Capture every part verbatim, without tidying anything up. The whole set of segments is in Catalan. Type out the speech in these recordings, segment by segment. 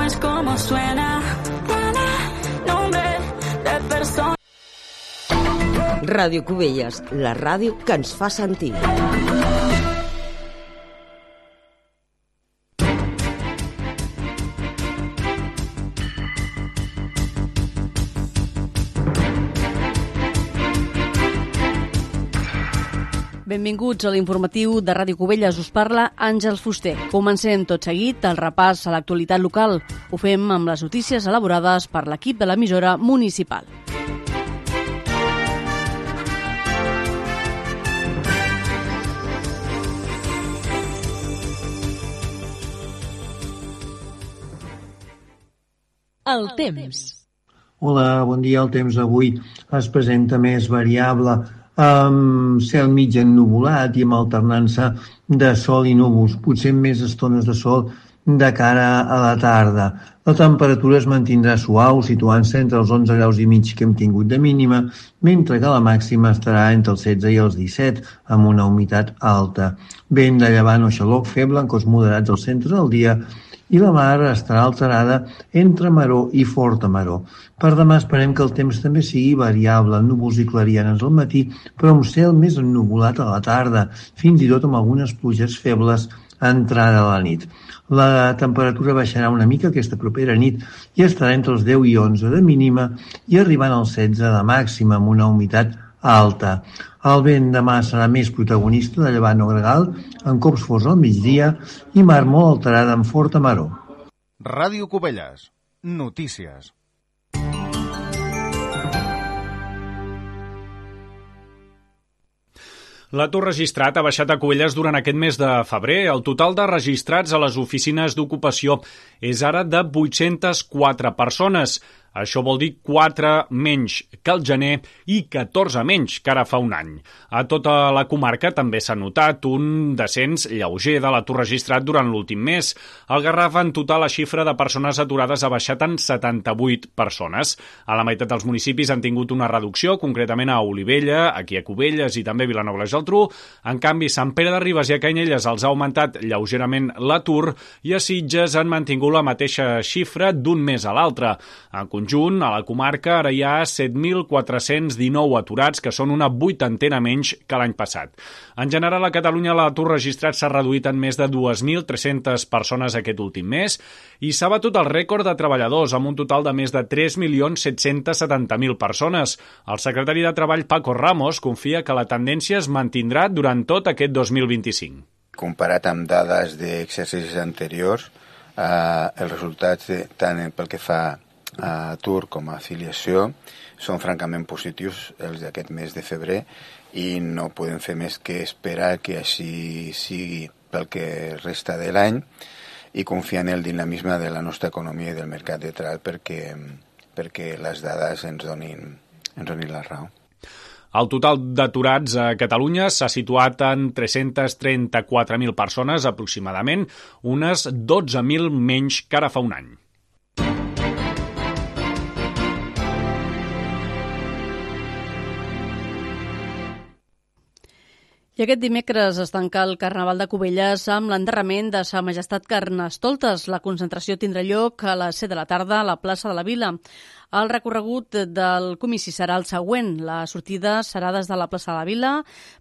es como suena. Nombre de persona. Ràdio Cubelles, la ràdio que ens fa sentir. Benvinguts a l'informatiu de Ràdio Cubelles. Us parla Àngels Fuster. Comencem tot seguit el repàs a l'actualitat local. Ho fem amb les notícies elaborades per l'equip de l'emissora municipal. El temps. Hola, bon dia. El temps avui es presenta més variable, amb cel mig ennuvolat i amb alternança de sol i núvols, potser amb més estones de sol de cara a la tarda. La temperatura es mantindrà suau, situant-se entre els onze graus i mig que hem tingut de mínima, mentre que la màxima estarà entre els setze i els disset, amb una humitat alta. Vent de llevant o xaloc feble en cos moderats al centre del dia, i la mar estarà alterada entre maror i forta maror. Per demà esperem que el temps també sigui variable, núvols i clarianes al matí, però amb cel més ennuvolat a la tarda, fins i tot amb algunes pluges febles a entrada a la nit. La temperatura baixarà una mica aquesta propera nit i estarà entre els deu i onze de mínima i arribant als setze de màxima amb una humitat alta. El vent demà serà més protagonista de llevant o gregal, en cops forts al migdia i mar molt alterada amb forta maror. Ràdio Cubelles. Notícies. L'atur registrat ha baixat a Cubelles durant aquest mes de febrer. El total de registrats a les oficines d'ocupació és ara de vuit-centes quatre persones. Això vol dir quatre menys que el gener i catorze menys que ara fa un any. A tota la comarca també s'ha notat un descens lleuger de l'atur registrat durant l'últim mes. Al Garraf, en total, la xifra de persones aturades ha baixat en setanta-vuit persones. A la meitat dels municipis han tingut una reducció, concretament a Olivella, aquí a Cubelles i també a Vilanova i la Geltrú. En canvi, Sant Pere de Ribes i a Canyelles els ha augmentat lleugerament l'atur i a Sitges han mantingut la mateixa xifra d'un mes a l'altre. En conjunt, a la comarca ara hi ha set mil quatre-cents dinou aturats, que són una vuitantena menys que l'any passat. En general, a Catalunya l'atur registrat s'ha reduït en més de dos mil tres-centes persones aquest últim mes i s'ha batut el rècord de treballadors amb un total de més de tres milions set-cents setanta mil persones. El secretari de Treball, Paco Ramos, confia que la tendència es mantindrà durant tot aquest dos mil vint-i-cinc. Comparat amb dades d'exercicis anteriors, eh, els resultats de, tant pel que fa a atur com a afiliació són francament positius els d'aquest mes de febrer i no podem fer més que esperar que així sigui pel que resta de l'any i confiar en el dinamisme de la nostra economia i del mercat de treball perquè, perquè les dades ens donin, ens donin la raó. El total d'aturats a Catalunya s'ha situat en tres-centes trenta-quatre mil persones aproximadament, unes dotze mil menys que ara fa un any. I aquest dimecres es tanca el Carnaval de Cubelles amb l'enterrament de Sa Majestat Carnestoltes. La concentració tindrà lloc a les set de la tarda a la plaça de la Vila. El recorregut del comici serà el següent. La sortida serà des de la plaça de la Vila,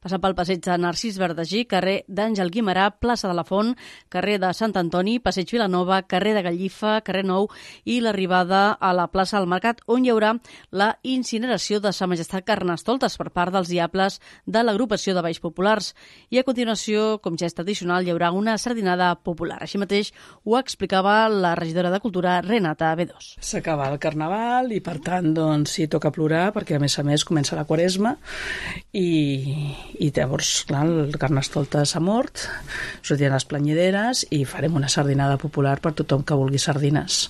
passant pel passeig de Narcís Verdagí, carrer d'Àngel Guimerà, plaça de la Font, carrer de Sant Antoni, passeig Vilanova, carrer de Gallifa, carrer Nou i l'arribada a la plaça del Mercat, on hi haurà la incineració de Sa Majestat Carnestoltes per part dels diables de l'agrupació de Balls Populars. I a continuació, com ja és tradicional, hi haurà una sardinada popular. Així mateix ho explicava la regidora de Cultura, Renata Bedós. S'acaba el Carnaval i per tant doncs sí, toca plorar perquè a més a més comença la Quaresma i, i llavors clar, el Carnestoltes s'ha mort, sortiran les planyideres i farem una sardinada popular per tothom que vulgui sardines.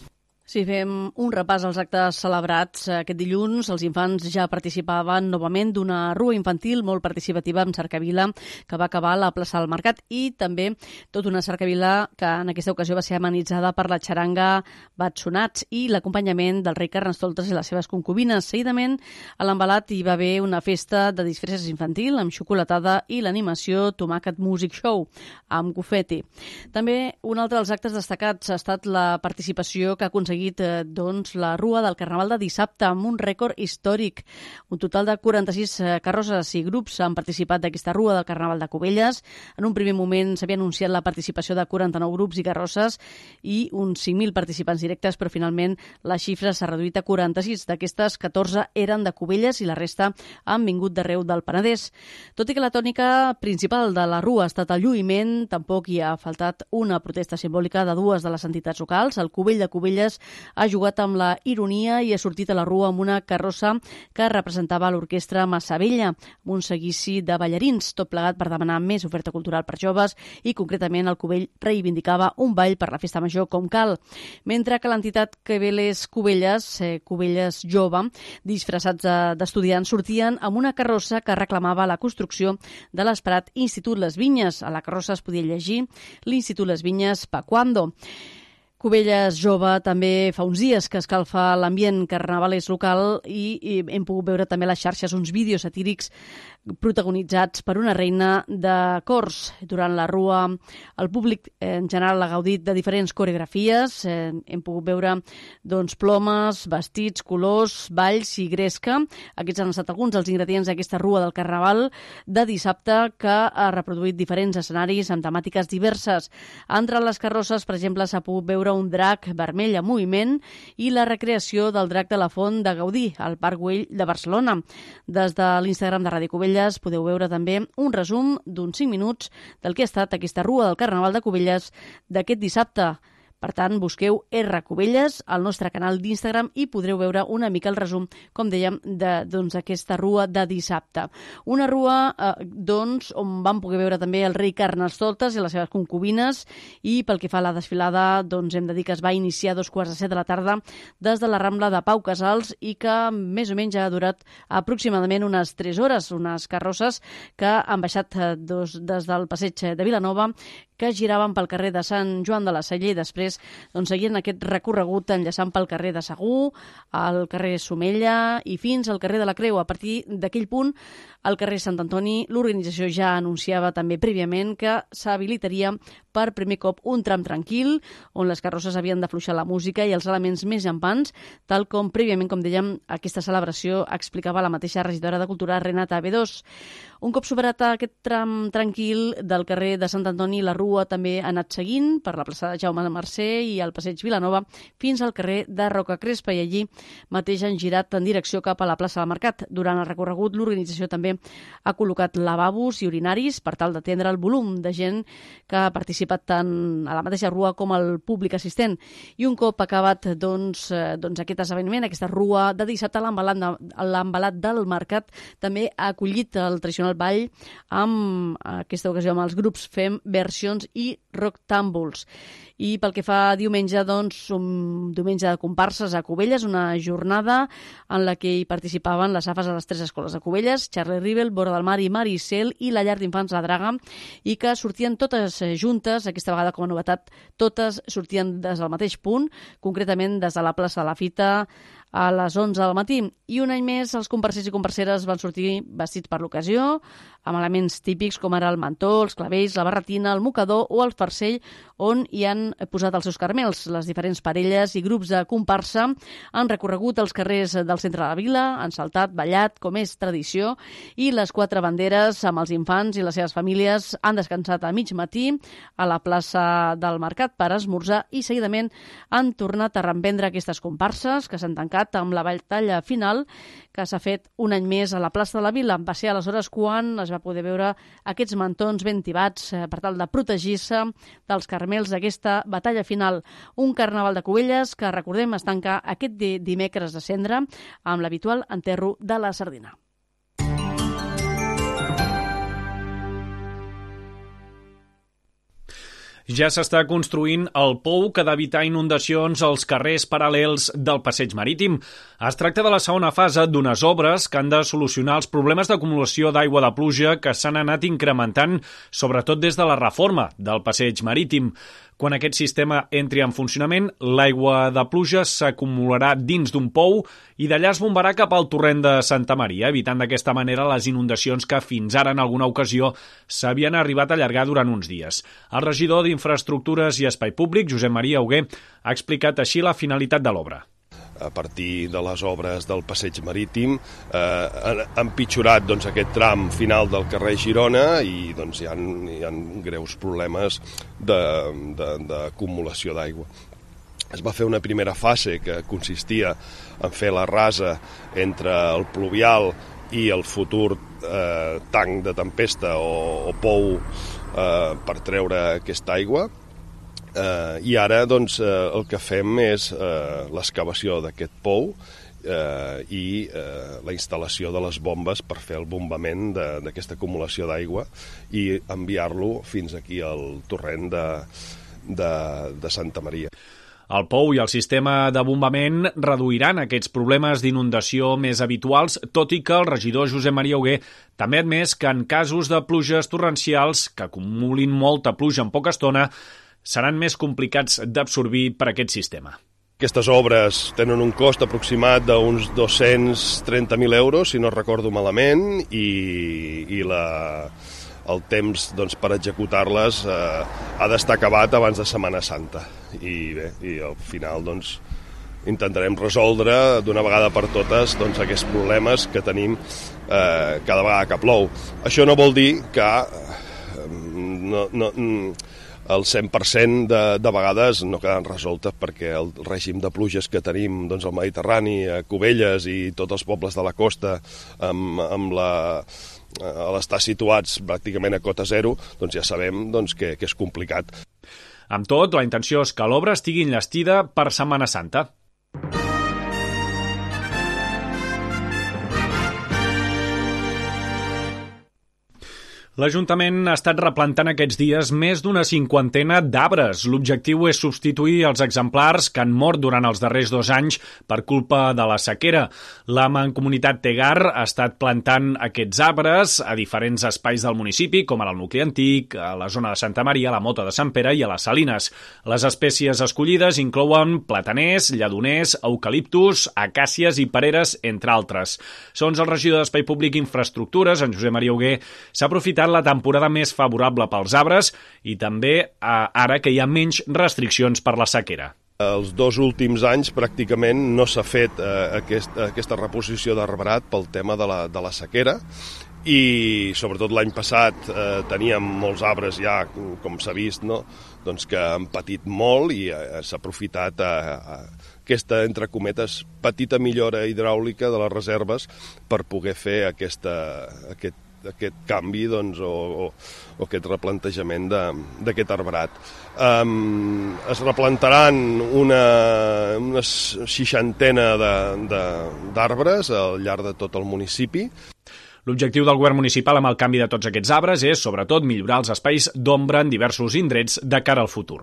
Si fem un repàs als actes celebrats aquest dilluns, els infants ja participaven novament d'una rua infantil molt participativa amb cercavila que va acabar a la plaça del Mercat i també tota una cercavila que en aquesta ocasió va ser amenitzada per la xaranga Batsonats i l'acompanyament del rei Carnestoltes i les seves concubines. Seguidament, a l'Envelat hi va haver una festa de disfresses infantil amb xocolatada i l'animació Tomàquet Music Show amb confeti. També un altre dels actes destacats ha estat la participació que ha aconseguit doncs, la rua del Carnaval de dissabte amb un rècord històric. Un total de quaranta-sis carrosses i grups han participat d'aquesta rua del Carnaval de Cubelles. En un primer moment s'havia anunciat la participació de quaranta-nou grups i carrosses i uns cinc mil participants directes, però finalment la xifra s'ha reduït a quaranta-sis. D'aquestes, catorze eren de Cubelles i la resta han vingut d'arreu del Penedès. Tot i que la tònica principal de la rua ha estat el lluïment, tampoc hi ha faltat una protesta simbòlica de dues de les entitats locals. El Cubell de Cubelles ha jugat amb la ironia i ha sortit a la rua amb una carrossa que representava l'orquestra Massavella, amb un seguici de ballarins, tot plegat per demanar més oferta cultural per joves i, concretament, el Cubell reivindicava un ball per la festa major com cal. Mentre que l'entitat Queveles Cubelles, eh, Cubelles Jove, disfressats d'estudiants, sortien amb una carrossa que reclamava la construcció de l'esperat Institut Les Vinyes. A la carrossa es podia llegir l'Institut Les Vinyes pa cuando. Cubelles Jove també fa uns dies que escalfa l'ambient carnavalès local i, i hem pogut veure també a les xarxes uns vídeos satírics protagonitzats per una reina de cors. Durant la rua, el públic en general ha gaudit de diferents coreografies. Eh, hem pogut veure doncs, plomes, vestits, colors, balls i gresca. Aquests han estat alguns dels ingredients d'aquesta rua del Carnaval de dissabte que ha reproduït diferents escenaris amb temàtiques diverses. Entre les carrosses, per exemple, s'ha pogut veure un drac vermell en moviment i la recreació del drac de la Font de Gaudí al Parc Güell de Barcelona. Des de l'Instagram de Ràdio Cubelles podeu veure també un resum d'uns cinc minuts del que ha estat aquesta rua del Carnaval de Cubelles d'aquest dissabte. Per tant, busqueu R Cubelles al nostre canal d'Instagram i podreu veure una mica el resum, com dèiem, d'aquesta doncs, rua de dissabte. Una rua eh, doncs, on vam poder veure també el rei Carnestoltes i les seves concubines i pel que fa a la desfilada doncs, hem de dir que es va iniciar a dos quarts de set de la tarda des de la Rambla de Pau Casals i que més o menys ha durat aproximadament unes tres hores, unes carrosses que han baixat eh, dos, des del passeig de Vilanova que giraven pel carrer de Sant Joan de la Salle i després doncs, seguien aquest recorregut enllaçant pel carrer de Segur, al carrer Somella i fins al carrer de la Creu. A partir d'aquell punt, al carrer Sant Antoni, l'organització ja anunciava també prèviament que s'habilitaria per primer cop un tram tranquil, on les carrosses havien d'afluixar la música i els elements més llampants, tal com prèviament, com dèiem, aquesta celebració explicava la mateixa regidora de Cultura, Renata Bedós. Un cop superat aquest tram tranquil del carrer de Sant Antoni, la rua també ha anat seguint per la plaça de Jaume Mercè i el passeig Vilanova fins al carrer de Roca Crespa i allí mateix han girat en direcció cap a la plaça del Mercat. Durant el recorregut, l'organització també ha col·locat lavabos i urinaris per tal d'atendre el volum de gent que ha participat tant a la mateixa rua com al públic assistent. I un cop acabat doncs, doncs aquest esdeveniment, aquesta rua de dissabte, l'embalat del Mercat també ha acollit el tradicional ball amb aquesta ocasió amb els grups Fem, Versions i Rock Tambours. I pel que fa a diumenge, doncs, un diumenge de comparses a Cubelles, una jornada en la que hi participaven les afes de les tres escoles de Cubelles, Charlie Rivel, Vora del Mar i Maricel, i la llar d'infants La Draga, i que sortien totes juntes, aquesta vegada com a novetat, totes sortien des del mateix punt, concretament des de la plaça de la Fita, a les onze del matí. I un any més els comparsers i comparseres van sortir vestits per l'ocasió, amb elements típics com ara el mantó, els clavells, la barretina, el mocador o el farcell, on hi han posat els seus carmels. Les diferents parelles i grups de comparsa han recorregut els carrers del centre de la vila, han saltat, ballat, com és tradició, i les quatre banderes amb els infants i les seves famílies han descansat a mig matí a la plaça del Mercat per esmorzar i seguidament han tornat a reemprendre aquestes comparses que s'han tancat amb la batalla final que s'ha fet un any més a la plaça de la Vila. Va ser aleshores quan es va poder veure aquests mantons ben tibats eh, per tal de protegir-se dels carmels d'aquesta batalla final. Un carnaval de Cubelles que, recordem, es tanca aquest dimecres de cendre amb l'habitual enterro de la sardina. Ja s'està construint el pou que ha d'evitar inundacions als carrers paral·lels del passeig marítim. Es tracta de la segona fase d'unes obres que han de solucionar els problemes d'acumulació d'aigua de pluja que s'han anat incrementant, sobretot des de la reforma del passeig marítim. Quan aquest sistema entri en funcionament, l'aigua de pluja s'acumularà dins d'un pou i d'allà es bombarà cap al torrent de Santa Maria, evitant d'aquesta manera les inundacions que fins ara en alguna ocasió s'havien arribat a allargar durant uns dies. El regidor d'Infraestructures i Espai Públic, Josep Maria Hugué, ha explicat així la finalitat de l'obra. A partir de les obres del passeig marítim eh, han empitjorat doncs, aquest tram final del carrer Girona i doncs, hi ha, hi ha greus problemes d'acumulació d'aigua. Es va fer una primera fase que consistia en fer la rasa entre el pluvial i el futur eh, tanc de tempesta o, o pou eh, per treure aquesta aigua. Uh, I ara doncs, uh, el que fem és uh, l'excavació d'aquest pou uh, i uh, la instal·lació de les bombes per fer el bombament d'aquesta acumulació d'aigua i enviar-lo fins aquí al torrent de, de, de Santa Maria. El pou i el sistema de bombament reduiran aquests problemes d'inundació més habituals, tot i que el regidor Josep Maria Hugué també ha admès que en casos de pluges torrencials que acumulin molta pluja en poca estona seran més complicats d'absorbir per aquest sistema. Aquestes obres tenen un cost aproximat d'uns dos-cents trenta mil euros, si no recordo malament, i, i la, el temps doncs, per executar-les eh, ha d'estar acabat abans de Setmana Santa. I bé, i al final doncs, intentarem resoldre d'una vegada per totes doncs, aquests problemes que tenim eh, cada vegada que plou. Això no vol dir que eh, no... no el cent per cent de, de vegades no queden resoltes perquè el règim de pluges que tenim doncs, al Mediterrani, a Cubelles i tots els pobles de la costa amb, amb la, a l'estar situats pràcticament a cota zero, doncs ja sabem doncs, que, que és complicat. Amb tot, la intenció és que l'obra estigui enllestida per Setmana Santa. L'Ajuntament ha estat replantant aquests dies més d'una cinquantena d'arbres. L'objectiu és substituir els exemplars que han mort durant els darrers dos anys per culpa de la sequera. La Mancomunitat Tegar ha estat plantant aquests arbres a diferents espais del municipi, com ara el nucli antic, a la zona de Santa Maria, a la Mota de Sant Pere i a les Salines. Les espècies escollides inclouen plataners, lledoners, eucaliptus, acàcies i pereres, entre altres. Segons el regidor d'Espai Públic i Infraestructures, en Josep Maria Hugué, s'ha aprofitat la temporada més favorable pels arbres i també eh, ara que hi ha menys restriccions per la sequera. Els dos últims anys pràcticament no s'ha fet eh, aquest, aquesta reposició d'arbrat pel tema de la, de la sequera i sobretot l'any passat eh, teníem molts arbres ja, com s'ha vist, no? Doncs que han patit molt i eh, s'ha aprofitat a, a aquesta, entre cometes, petita millora hidràulica de les reserves per poder fer aquesta, aquest aquest canvi doncs, o, o, o aquest replantejament d'aquest arbrat. Um, es replantaran una, una seixantena d'arbres al llarg de tot el municipi. L'objectiu del govern municipal amb el canvi de tots aquests arbres és, sobretot, millorar els espais d'ombra en diversos indrets de cara al futur.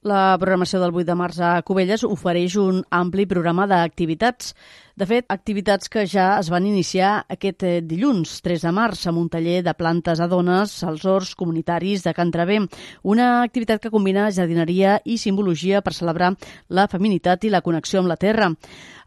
La programació del vuit de març a Cubelles ofereix un ampli programa d'activitats. De fet, activitats que ja es van iniciar aquest dilluns, tres de març, amb un taller de plantes a dones als horts comunitaris de Can Traver. Una activitat que combina jardineria i simbologia per celebrar la feminitat i la connexió amb la terra.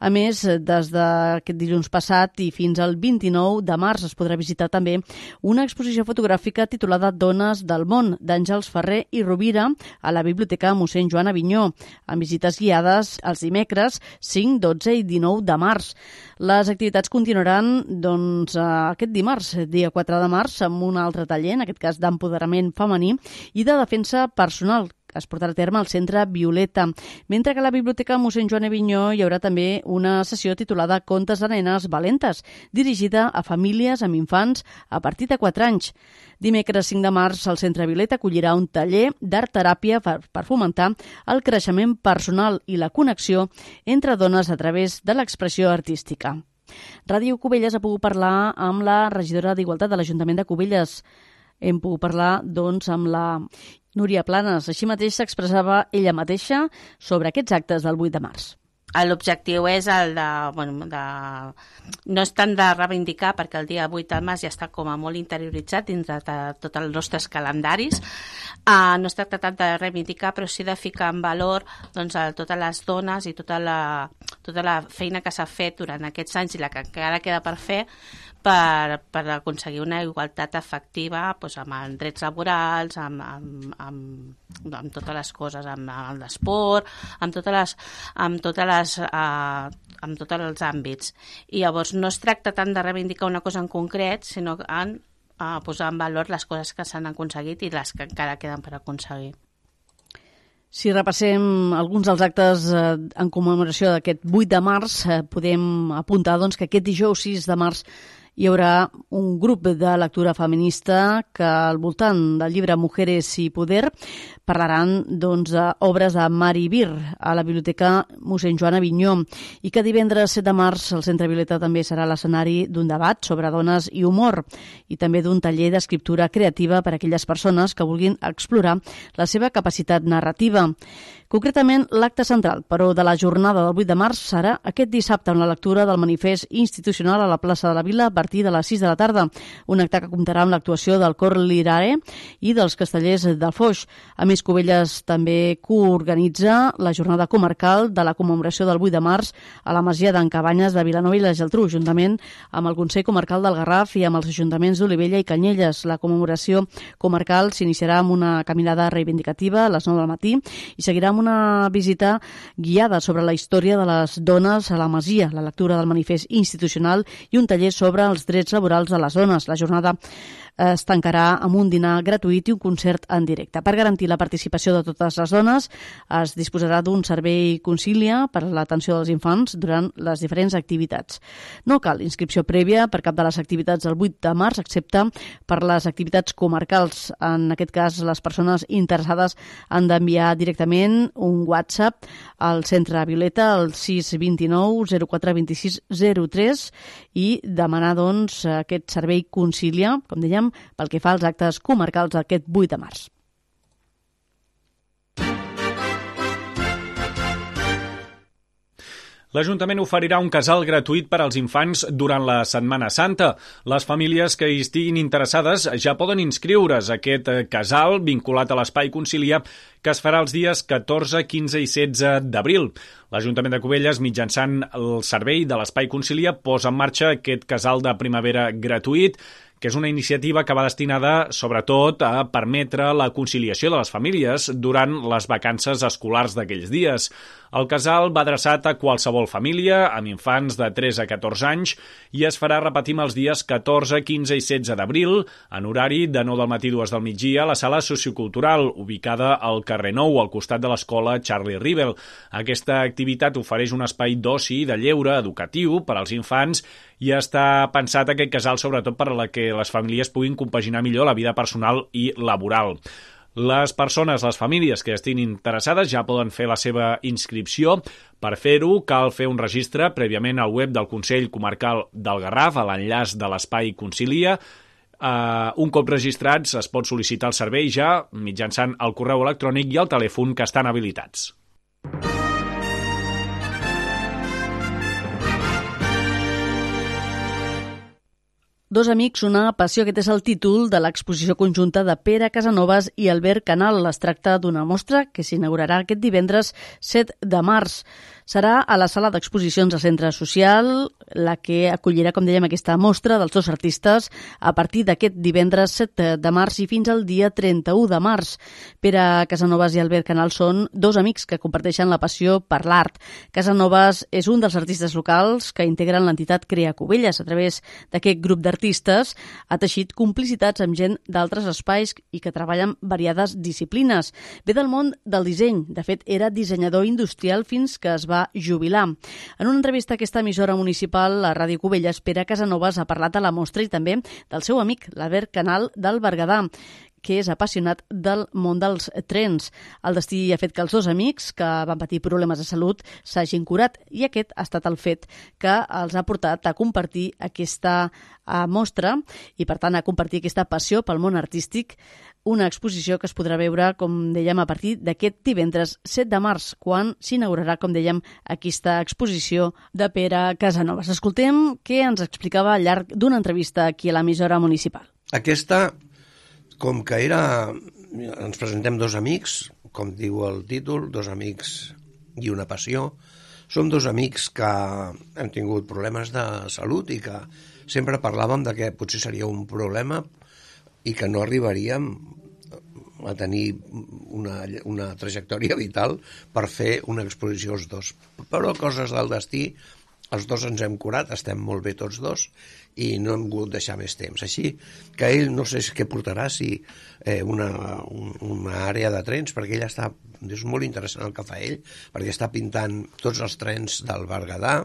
A més, des d'aquest dilluns passat i fins al vint-i-nou de març es podrà visitar també una exposició fotogràfica titulada Dones del món, d'Àngels Ferrer i Rovira, a la Biblioteca mossèn Joan Avinyó, amb visites guiades els dimecres cinc, dotze i dinou de març. Les activitats continuaran doncs, aquest dimarts, dia quatre de març, amb un altre taller, en aquest cas d'empoderament femení i de defensa personal, que es portarà a terme al Centre Violeta, mentre que a la Biblioteca mossèn Joan Avinyó hi haurà també una sessió titulada Contes de nenes valentes, dirigida a famílies amb infants a partir de quatre anys. Dimecres cinc de març, el Centre Violeta acollirà un taller d'art-teràpia per, per fomentar el creixement personal i la connexió entre dones a través de l'expressió artística. Ràdio Cubelles ha pogut parlar amb la regidora d'Igualtat de l'Ajuntament de Cubelles. Hem pogut parlar, doncs, amb la Núria Planes. Així mateix s'expressava ella mateixa sobre aquests actes del vuit de març. L'objectiu és el de, bueno, de... No és tant de reivindicar, perquè el dia vuit de març ja està com a molt interioritzat dins de tots els nostres calendaris. Uh, no es tracta tant de reivindicar, però sí de ficar en valor doncs, a totes les dones i tota la, tota la feina que s'ha fet durant aquests anys i la que encara queda per fer per, per aconseguir una igualtat efectiva doncs, amb els drets laborals, amb, amb, amb, amb totes les coses, amb, amb l'esport, amb totes les, amb totes les, uh, amb tots els àmbits. I llavors no es tracta tant de reivindicar una cosa en concret, sinó en uh, posar en valor les coses que s'han aconseguit i les que encara queden per aconseguir. Si repassem alguns dels actes eh, en commemoració d'aquest vuit de març, eh, podem apuntar doncs, que aquest dijous sis de març hi haurà un grup de lectura feminista que al voltant del llibre Mujeres y Poder parlaran doncs, d'obres de Mari Bir a la Biblioteca mossèn Joan Avinyó i que divendres set de març el Centre Violeta també serà l'escenari d'un debat sobre dones i humor i també d'un taller d'escriptura creativa per a aquelles persones que vulguin explorar la seva capacitat narrativa. Concretament, l'acte central, però, de la jornada del vuit de març serà aquest dissabte amb la lectura del manifest institucional a la plaça de la Vila a partir de les sis de la tarda, un acte que comptarà amb l'actuació del Cor Lirare i dels Castellers del Foix. A més, Cubelles també coorganitza la jornada comarcal de la commemoració del vuit de març a la Masia d'en Cabanyes de Vilanova i la Geltrú, juntament amb el Consell Comarcal del Garraf i amb els ajuntaments d'Olivella i Canyelles. La commemoració comarcal s'iniciarà amb una caminada reivindicativa a les nou del matí i seguirà amb una visita guiada sobre la història de les dones a la Masia, la lectura del manifest institucional i un taller sobre els drets laborals de les dones. La jornada es tancarà amb un dinar gratuït i un concert en directe. Per garantir la participació de totes les dones, es disposarà d'un servei concília per a l'atenció dels infants durant les diferents activitats. No cal inscripció prèvia per cap de les activitats del vuit de març, excepte per les activitats comarcals. En aquest cas, les persones interessades han d'enviar directament un WhatsApp al Centre Violeta al sis dos nou zero quatre dos sis zero tres i demanar doncs, aquest servei concília, com dèiem, pel que fa als actes comarcals d'aquest vuit de març. L'Ajuntament oferirà un casal gratuït per als infants durant la Setmana Santa. Les famílies que hi estiguin interessades ja poden inscriure's a aquest casal vinculat a l'Espai Concilia que es farà els dies catorze, quinze i setze d'abril. L'Ajuntament de Cubelles, mitjançant el servei de l'Espai Concilia, posa en marxa aquest casal de primavera gratuït, que és una iniciativa que va destinada, sobretot, a permetre la conciliació de les famílies durant les vacances escolars d'aquells dies. El casal va adreçat a qualsevol família amb infants de tres a catorze anys i es farà, repetim, els dies catorze, quinze i setze d'abril, en horari de nou del matí a dues del migdia, a la sala sociocultural, ubicada al carrer Nou, al costat de l'escola Charlie Rivel. Aquesta activitat ofereix un espai d'oci i de lleure educatiu per als infants i està pensat aquest casal sobretot per a la que les famílies puguin compaginar millor la vida personal i laboral. Les persones, les famílies que estiguin interessades ja poden fer la seva inscripció. Per fer-ho cal fer un registre prèviament al web del Consell Comarcal del Garraf, a l'enllaç de l'Espai Concilia. Uh, un cop registrats es pot sol·licitar el servei ja mitjançant el correu electrònic i el telèfon que estan habilitats. Dos amics, una passió. Aquest és el títol de l'exposició conjunta de Pere Casanovas i Albert Canal. Es tracta d'una mostra que s'inaugurarà aquest divendres set de març. Serà a la sala d'exposicions del Centre Social, la que acollirà, com dèiem, aquesta mostra dels dos artistes a partir d'aquest divendres set de març i fins al dia trenta-u de març. Pere Casanovas i Albert Canal són dos amics que comparteixen la passió per l'art. Casanovas és un dels artistes locals que integren l'entitat Crea Cubelles. A través d'aquest grup d'artistes ha teixit complicitats amb gent d'altres espais i que treballen variades disciplines. Ve del món del disseny. De fet, era dissenyador industrial fins que es va jubilar. En una entrevista a aquesta emissora municipal, a Ràdio Cubelles, Pere Casanovas ha parlat de la mostra i també del seu amic, l'Albert Canal del Berguedà, que és apassionat del món dels trens. El destí ha fet que els dos amics que van patir problemes de salut s'hagin curat i aquest ha estat el fet que els ha portat a compartir aquesta mostra i, per tant, a compartir aquesta passió pel món artístic, una exposició que es podrà veure, com dèiem, a partir d'aquest divendres set de març, quan s'inaugurarà, com dèiem, aquesta exposició de Pere Casanovas. Escoltem què ens explicava al llarg d'una entrevista aquí a l'emissora municipal. Aquesta, com que era... Ens presentem dos amics, com diu el títol, dos amics i una passió. Som dos amics que hem tingut problemes de salut i que sempre parlàvem de que potser seria un problema i que no arribaríem a tenir una, una trajectòria vital per fer una exposició els dos. Però coses del destí, els dos ens hem curat, estem molt bé tots dos i no hem volgut deixar més temps. Així que ell no sé què portarà, si eh, una, un, una àrea de trens, perquè ell està, és molt interessant el que fa ell, perquè està pintant tots els trens del Berguedà,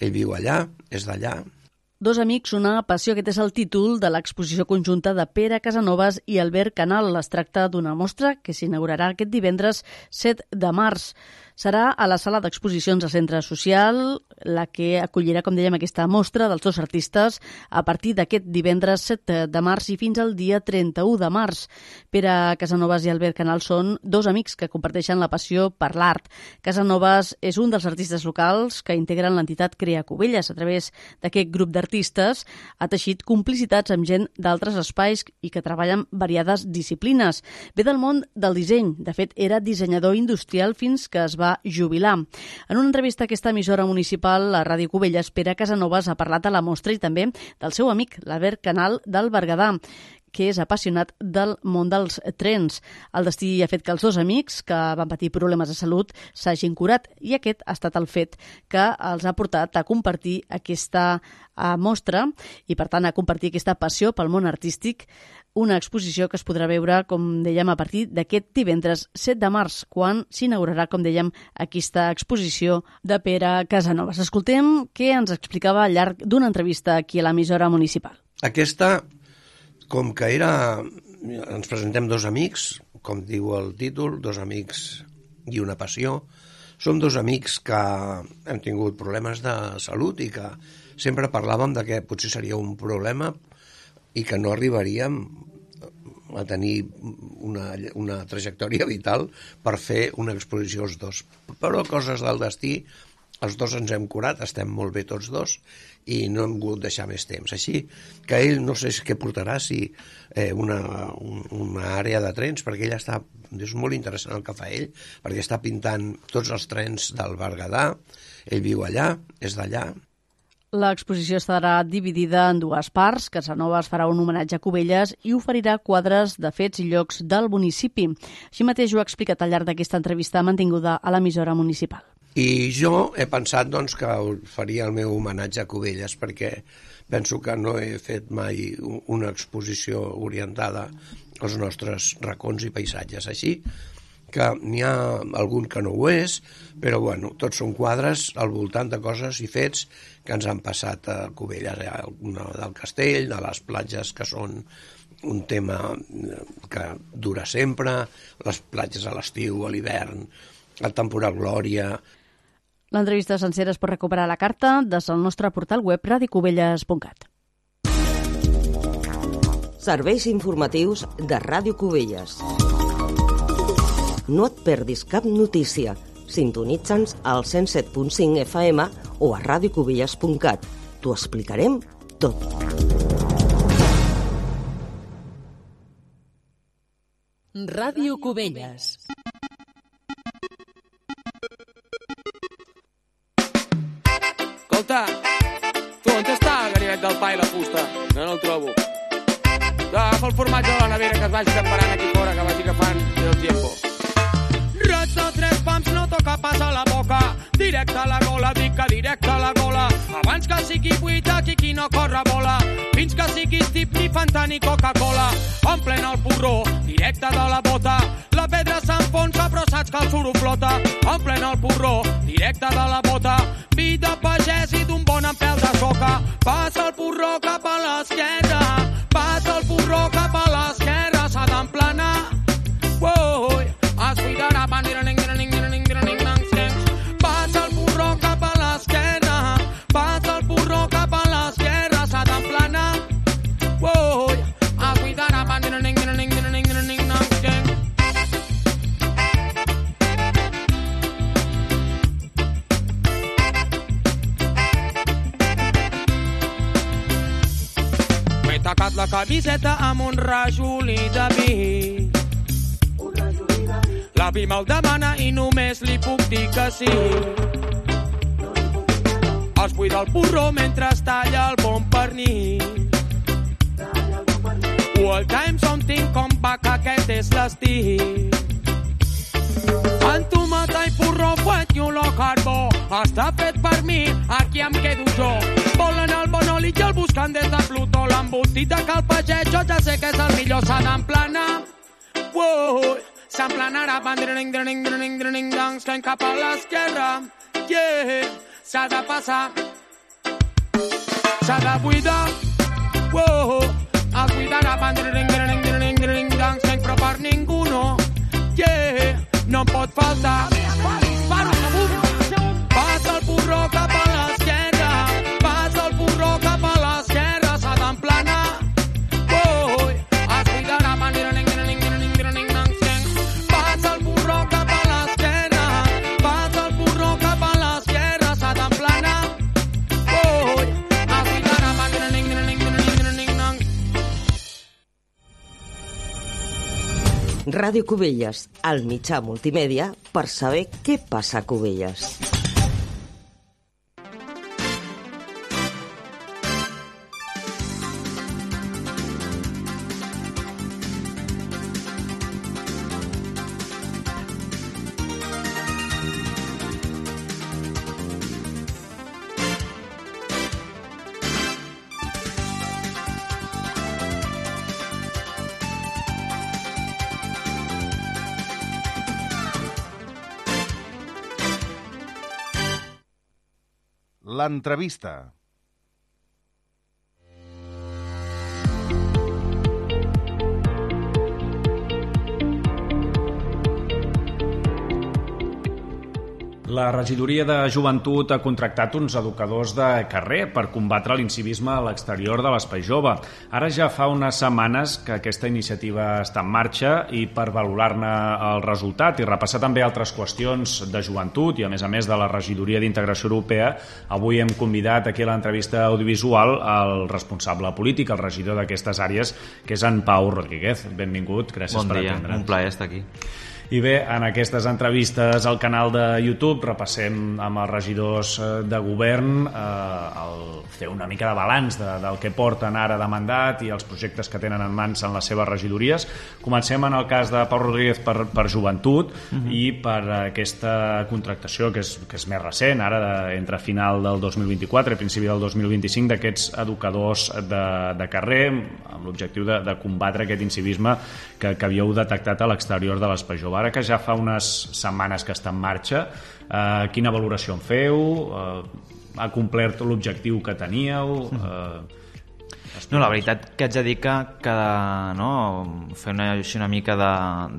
ell viu allà, és d'allà. Dos amics, una passió, aquest és el títol de l'exposició conjunta de Pere Casanovas i Albert Canal. Es tracta d'una mostra que s'inaugurarà aquest divendres set de març. Serà a la sala d'exposicions del Centre Social, la que acollirà, com dèiem, aquesta mostra dels dos artistes a partir d'aquest divendres set de març i fins al dia trenta-u de març. Pere Casanovas i Albert Canal són dos amics que comparteixen la passió per l'art. Casanovas és un dels artistes locals que integren l'entitat Crea Cubelles. A través d'aquest grup d'artistes ha teixit complicitats amb gent d'altres espais i que treballen variades disciplines. Ve del món del disseny. De fet, era dissenyador industrial fins que es va jubilar. En una entrevista a aquesta emissora municipal, a Ràdio Cubelles, Pere Casanovas ha parlat de la mostra i també del seu amic, l'Albert Canal del Berguedà, que és apassionat del món dels trens. El destí ha fet que els dos amics que van patir problemes de salut s'hagin curat i aquest ha estat el fet que els ha portat a compartir aquesta mostra i, per tant, a compartir aquesta passió pel món artístic, una exposició que es podrà veure, com dèiem, a partir d'aquest divendres set de març, quan s'inaugurarà, com dèiem, aquesta exposició de Pere Casanovas. Escoltem què ens explicava al llarg d'una entrevista aquí a l'emissora municipal. Aquesta, com que era... Ens presentem dos amics, com diu el títol, dos amics i una passió. Som dos amics que hem tingut problemes de salut i que sempre parlàvem de que potser seria un problema i que no arribaríem a tenir una, una trajectòria vital per fer una exposició els dos. Però coses del destí, els dos ens hem curat, estem molt bé tots dos i no hem volgut deixar més temps. Així que ell no sé què portarà, si eh, una, un, una àrea de trens, perquè ell està, és molt interessant el que fa ell, perquè està pintant tots els trens del Berguedà, ell viu allà, és d'allà. L'exposició estarà dividida en dues parts. Casanovas farà un homenatge a Cubelles i oferirà quadres de fets i llocs del municipi. Així mateix ho ha explicat al llarg d'aquesta entrevista mantinguda a l'emissora municipal. I jo he pensat doncs, que faria el meu homenatge a Cubelles perquè penso que no he fet mai una exposició orientada als nostres racons i paisatges. Així que n'hi ha algun que no ho és, però bueno, tots són quadres al voltant de coses i fets que ens han passat a Cubelles, del castell, de les platges que són un tema que dura sempre, les platges a l'estiu, a l'hivern, el temporal Glòria. L'entrevista sencera es pot recuperar a la carta des del nostre portal web radiocubelles punt cat. Serveis informatius de Ràdio Cubelles. No et perdis cap notícia. Sintonitza'ns al cent set punt cinc F M o a radiocubelles punt cat. T'ho explicarem tot. Ràdio Cubelles. Escolta, tu on està el ganivet del pa i la fusta? No, no el trobo. Agafa el formatge de la nevera que es vagi separant aquí fora, que vagi agafant el tiempo. Roig de tres pams no toca pas a la boca, directe a la gola, dic que directe a la gola. Abans que sigui buit aquí qui no corre bola, fins que siguis tip ni Fanta ni Coca-Cola. Omplen el porró, directe de la bota, la pedra s'enfonsa però saps que el suro flota. Omplen el porró, directe de la bota, vi de pagès i d'un bon empel de soca. Passa el porró cap a l'esquerra, passa el porró cap a l'esquerra, s'ha d'emplenar camiseta amb un rajolí de vi. L'avi me'l demana i només li puc dir que sí. Es buida el porró mentre es talla el bon pernil. All time something come back, aquest és l'estil. En tomata i porró fuet i olor carbó, està fet per mi, aquí em quedo jo. Volen el Bonoli i el buscant des de Plutó, l'embotit de Calpaget, jo ja sé que és el millor, s'ha d'emplenar. Wow, s'emplenarà, bandring, dring, dring, dring, dang, escany cap a l'esquerra. Yeah, s'ha de passar, s'ha de buidar. Wow, es buidarà, bandring, dring, dring, dring, dang, escany, però per ningú no. Yeah, no em pot faltar. Passa el porró cap a l'esquerra, passa el porró cap a l'esquerra, s'ha d'emplenar. Oh, es buidarà, passa el porró cap a l'esquerra, passa el porró cap a l'esquerra, s'ha d'emplenar. Oh, es buidarà, Ràdio Cubelles, el mitjà multimèdia per saber què passa a Cubelles. L'entrevista. La regidoria de joventut ha contractat uns educadors de carrer per combatre l'incivisme a l'exterior de l'espai jove. Ara ja fa unes setmanes que aquesta iniciativa està en marxa i per valorar-ne el resultat i repassar també altres qüestions de joventut i a més a més de la regidoria d'integració europea, avui hem convidat aquí a l'entrevista audiovisual el responsable polític, el regidor d'aquestes àrees, que és en Pau Rodríguez. Benvingut, gràcies per atendre'ns. Bon dia, un plaer estar aquí. I bé, en aquestes entrevistes al canal de YouTube repassem amb els regidors de govern eh, el fer una mica de balanç de, del que porten ara de mandat i els projectes que tenen en mans en les seves regidories. Comencem en el cas de Pau Rodríguez per, per joventut uh-huh. i per aquesta contractació que és, que és més recent, ara de, entre final del dos mil vint-i-quatre i principi del dos mil vint-i-cinc, d'aquests educadors de, de carrer amb l'objectiu de, de combatre aquest incivisme que, que havíeu detectat a l'exterior de l'espai jove. Ara que ja fa unes setmanes que està en marxa, eh, quina valoració en feu? Eh, ha complert l'objectiu que teníeu? Eh, no, la veritat que haig de dir que, que no, fer una, una mica de,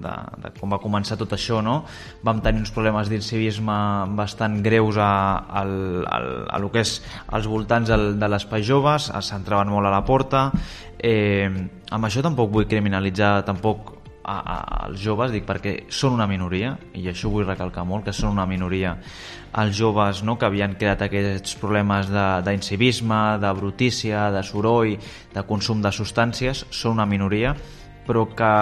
de, de com va començar tot això, no? Vam tenir uns problemes d'incivisme bastant greus a, a, a, a lo que és als voltants del, de l'espai joves, s'entraven molt a la porta. Eh, amb això tampoc vull criminalitzar tampoc A, a, als joves, dic, perquè són una minoria, i això vull recalcar molt, que són una minoria els joves, no?, que havien creat aquests problemes d'incivisme, de, de brutícia, de soroll, de consum de substàncies, són una minoria, però que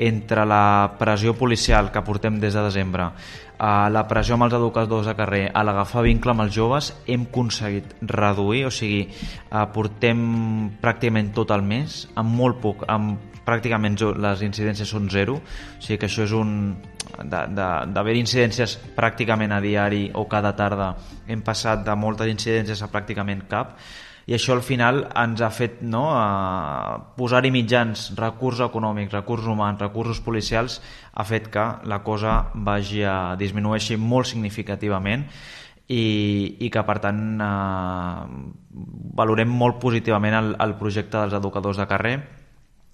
entre la pressió policial que portem des de desembre, a la pressió amb els educadors de carrer, a l'agafar vincle amb els joves, hem aconseguit reduir, o sigui, portem pràcticament tot el mes, amb molt poc, amb pràcticament les incidències són zero, o sigui que això és un... d'haver incidències pràcticament a diari o cada tarda, hem passat de moltes incidències a pràcticament cap, i això al final ens ha fet, no, a posar-hi mitjans, recursos econòmics, recursos humans, recursos policials, ha fet que la cosa vagi a disminueixi molt significativament i, i que per tant eh, valorem molt positivament el, el projecte dels educadors de carrer.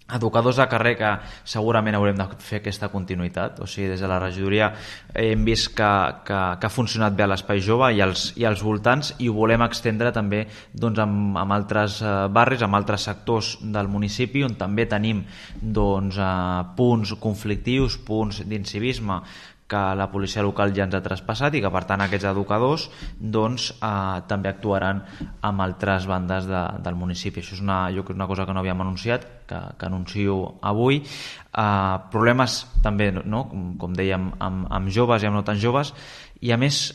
Educadors de carrer que segurament haurem de fer aquesta continuïtat, o sigui, des de la regidoria hem vist que, que, que ha funcionat bé a l'espai jove i als, i als voltants, i ho volem extendre també doncs, amb, amb altres barris, amb altres sectors del municipi on també tenim doncs, punts conflictius, punts d'incivisme que la policia local ja ens ha traspassat i que per tant aquests educadors doncs, eh, també actuaran amb altres bandes de, del municipi. Això és una, jo crec una cosa que no havíem anunciat, que, que anuncio avui. Eh, problemes també, no? com, com dèiem, amb, amb joves i amb no tan joves, i a més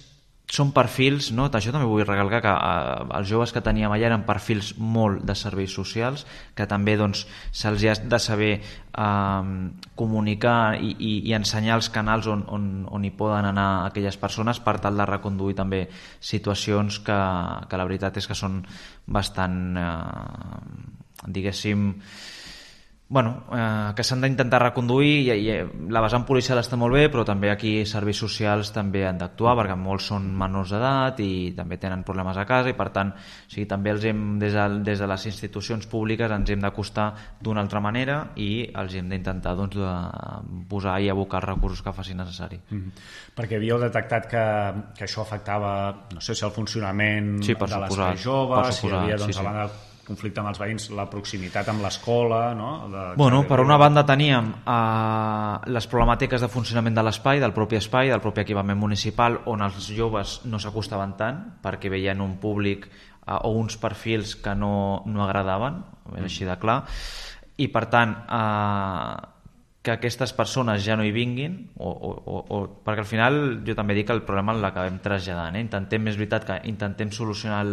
són perfils, no? Això també vull recalcar que eh, els joves que teníem allà eren perfils molt de serveis socials, que també doncs, se'ls ha de saber eh, comunicar i, i, i ensenyar els canals on, on, on hi poden anar aquelles persones per tal de reconduir també situacions que, que la veritat és que són bastant, eh, diguéssim, bueno, eh, que s'han d'intentar reconduir i, i la vessant policial està molt bé, però també aquí serveis socials també han d'actuar perquè molts són menors d'edat i també tenen problemes a casa i per tant o sigui, també els hem, des de, des de les institucions públiques ens hem d'acostar d'una altra manera i els hem d'intentar doncs, de posar i abocar els recursos que faci necessari. Mm-hmm. Perquè havíeu detectat que, que això afectava, no sé si el funcionament sí, de l'espai jove, si hi havia doncs, sí, sí. a banda conflicte amb els veïns, la proximitat amb l'escola, no? De... Bueno, per una banda teníem eh, les problemàtiques de funcionament de l'espai, del propi espai, del propi equipament municipal, on els joves no s'acostaven tant perquè veien un públic eh, o uns perfils que no, no agradaven, és així de clar, i per tant eh, que aquestes persones ja no hi vinguin, o, o, o, o, perquè al final jo també dic que el problema l'acabem traslladant. Eh? Intentem, és veritat que intentem solucionar el,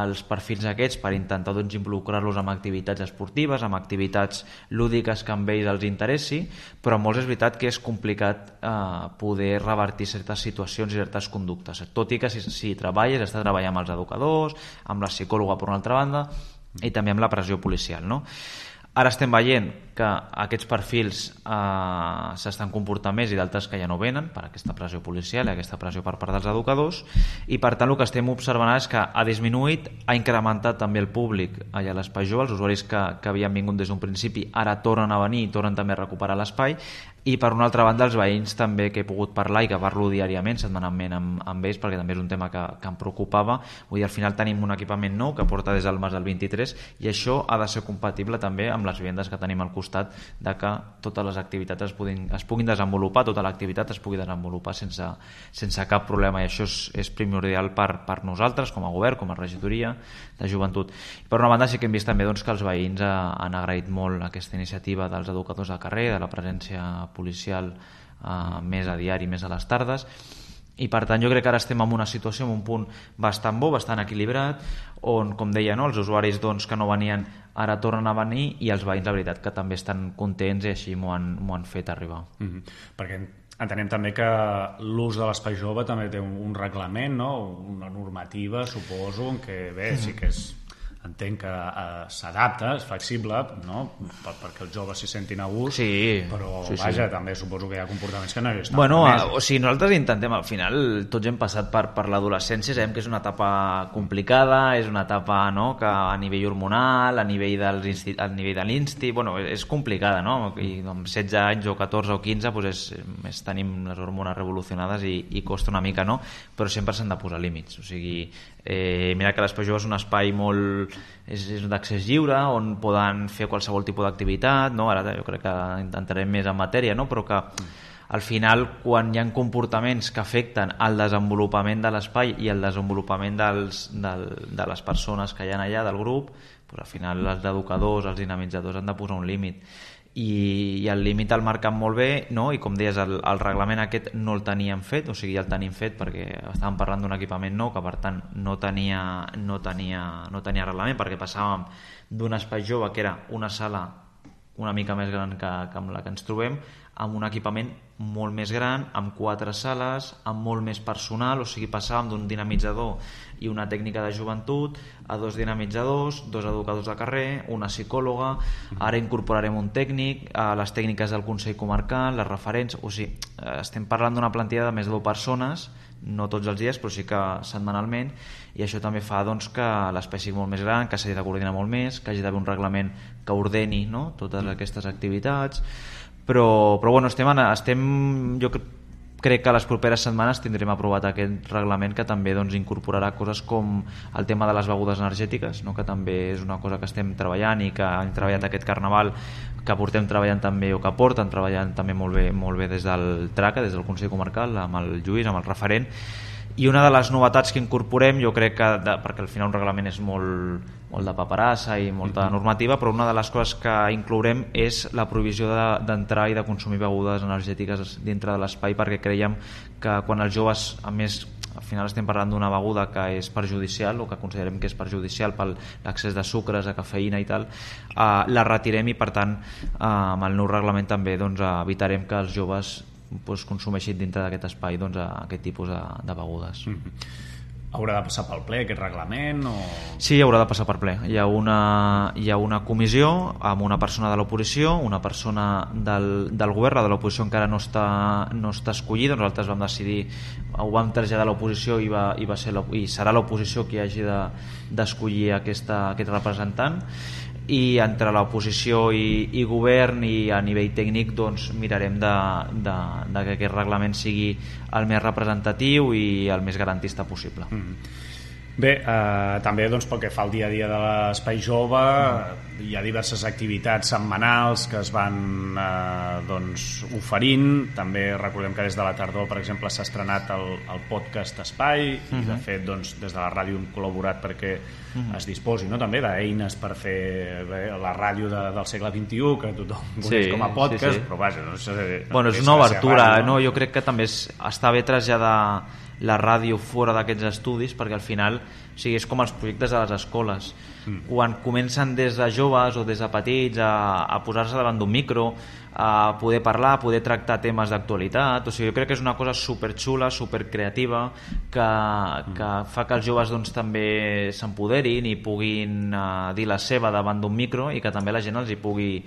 els perfils aquests per intentar doncs, involucrar-los en activitats esportives, en activitats lúdiques que amb ells els interessi, però molts és veritat que és complicat eh, poder revertir certes situacions i certes conductes, tot i que si, si treballes, estàs treballant amb els educadors, amb la psicòloga per una altra banda i també amb la pressió policial, no? Ara estem veient que aquests perfils eh, s'estan comportant més i d'altres que ja no venen per aquesta pressió policial i aquesta pressió per part dels educadors i per tant el que estem observant és que ha disminuït, ha incrementat també el públic allà a l'espai jove, els usuaris que, que havien vingut des d'un principi ara tornen a venir i tornen també a recuperar l'espai i per una altra banda els veïns també que he pogut parlar i que parlo diàriament, setmanalment amb, amb ells perquè també és un tema que, que em preocupava, vull dir, al final tenim un equipament nou que porta des del març del vint-i-tres i això ha de ser compatible també amb les vivendes que tenim al costat de que totes les activitats es puguin, es puguin desenvolupar, tota l'activitat es pugui desenvolupar sense, sense cap problema i això és, és primordial per, per nosaltres com a govern, com a regidoria de joventut. I per una banda sí que hem vist també doncs, que els veïns ha, han agraït molt aquesta iniciativa dels educadors de carrer, de la presència policial eh, més a diari, més a les tardes i per tant jo crec que ara estem en una situació en un punt bastant bo, bastant equilibrat on, com deia, no, els usuaris doncs, que no venien ara tornen a venir i els veïns la veritat que també estan contents i així m'ho han, m'ho han fet arribar. Mm-hmm. Perquè entenem també que l'ús de l'espai jove també té un, un reglament, no? Una normativa, suposo, en què bé, sí que és entenc que eh, s'adapta, és flexible, no? per, perquè els joves s'hi sentin a gust, sí, però sí, vaja, sí. també suposo que hi ha comportaments que no hi estan. Bueno, a, o sigui, nosaltres intentem, al final tots hem passat per, per l'adolescència, sabem que és una etapa complicada, és una etapa no, que a nivell hormonal, a nivell, dels, a nivell de l'insti, bueno, és complicada, no? I amb setze anys o catorze o quinze doncs és, és, tenim les hormones revolucionades i, i costa una mica, no? Però sempre s'han de posar límits, o sigui, eh, mira que l'espai jove és un espai molt és, és d'accés lliure on poden fer qualsevol tipus d'activitat, no? Ara jo crec que entrarem més en matèria, no? Però que al final quan hi ha comportaments que afecten al desenvolupament de l'espai i al desenvolupament dels, del, de les persones que hi ha allà del grup, doncs al final els educadors, els dinamitzadors han de posar un límit i, i el límit el marquen molt bé, no? I com deies, el, el reglament aquest no el teníem fet, o sigui, el tenim fet perquè estàvem parlant d'un equipament nou que per tant no tenia, no tenia, no tenia reglament, perquè passàvem d'un espai jove que era una sala una mica més gran que, que amb la que ens trobem, amb un equipament molt més gran, amb quatre sales, amb molt més personal, o sigui, passàvem d'un dinamitzador i una tècnica de joventut a dos dinamitzadors, dos educadors de carrer, una psicòloga, ara incorporarem un tècnic, a les tècniques del Consell Comarcal, les referents, o sigui, estem parlant d'una plantilla de més de deu persones, no tots els dies, però sí que setmanalment, i això també fa doncs, que l'espai sigui molt més gran, que s'hagi de coordinar molt més, que hagi d'haver un reglament que ordeni no? Totes aquestes activitats, però, però bueno, estem, estem jo crec crec que a les properes setmanes tindrem aprovat aquest reglament que també doncs, incorporarà coses com el tema de les begudes energètiques, no? Que també és una cosa que estem treballant i que hem treballat aquest carnaval, que portem treballant també, o que porten treballant també molt bé, molt bé des del TRACA, des del Consell Comarcal, amb el Lluís, amb el referent. I una de les novetats que incorporem, jo crec que, de, perquè al final un reglament és molt, molt de paperassa i molta normativa, però una de les coses que inclourem és la prohibició d'entrar de, i de consumir begudes energètiques dintre de l'espai, perquè creiem que quan els joves, a més, al final estem parlant d'una beguda que és perjudicial o que considerem que és perjudicial per l'accés de sucres, de cafeïna i tal, eh, la retirem i per tant eh, amb el nou reglament també doncs, evitarem que els joves doncs, consumeixin dintre d'aquest espai doncs, aquest tipus de, de begudes. Mm-hmm. Haurà de passar pel ple aquest reglament? O... Sí, haurà de passar per ple. Hi ha una, hi ha una comissió amb una persona de l'oposició, una persona del, del govern, la de l'oposició encara no està, no està escollida, nosaltres vam decidir, ho vam traslladar a l'oposició i, va, i, va ser i serà l'oposició qui hagi d'escollir de, aquesta, aquest representant, i entre l'oposició i, i govern i a nivell tècnic doncs, mirarem de, de, de que aquest reglament sigui el més representatiu i el més garantista possible. Mm-hmm. Bé, eh, també doncs, pel que fa al dia a dia de l'Espai Jove, mm. hi ha diverses activitats setmanals que es van eh, doncs, oferint. També recordem que des de la tardor, per exemple, s'ha estrenat el, el podcast Espai, mm-hmm. i de fet doncs, des de la ràdio hem col·laborat perquè mm-hmm. es disposi, no? També d'eines per fer bé, la ràdio de, del segle vint-i-u, que tothom coneix sí, com a podcast, sí, sí. però vaja, no sé, bueno, és una obertura, ràdio, no? No? Jo crec que també és, està bé traslladar la ràdio fora d'aquests estudis, perquè al final o sigui, és com els projectes de les escoles. Mm. Quan comencen des de joves o des de petits a, a posar-se davant d'un micro, a poder parlar, a poder tractar temes d'actualitat, o sigui, jo crec que és una cosa superxula, supercreativa, que, que fa que els joves doncs, també s'empoderin i puguin uh, dir la seva davant d'un micro i que també la gent els hi pugui,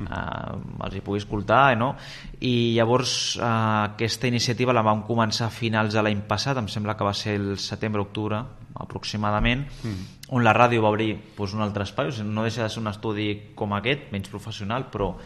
uh, els hi pugui escoltar, no? I llavors uh, aquesta iniciativa la vam començar a finals de l'any passat, em sembla que va ser el setembre-octubre aproximadament, mm. on la ràdio va obrir doncs, un altre espai, o sigui, no deixa de ser un estudi com aquest, menys professional, però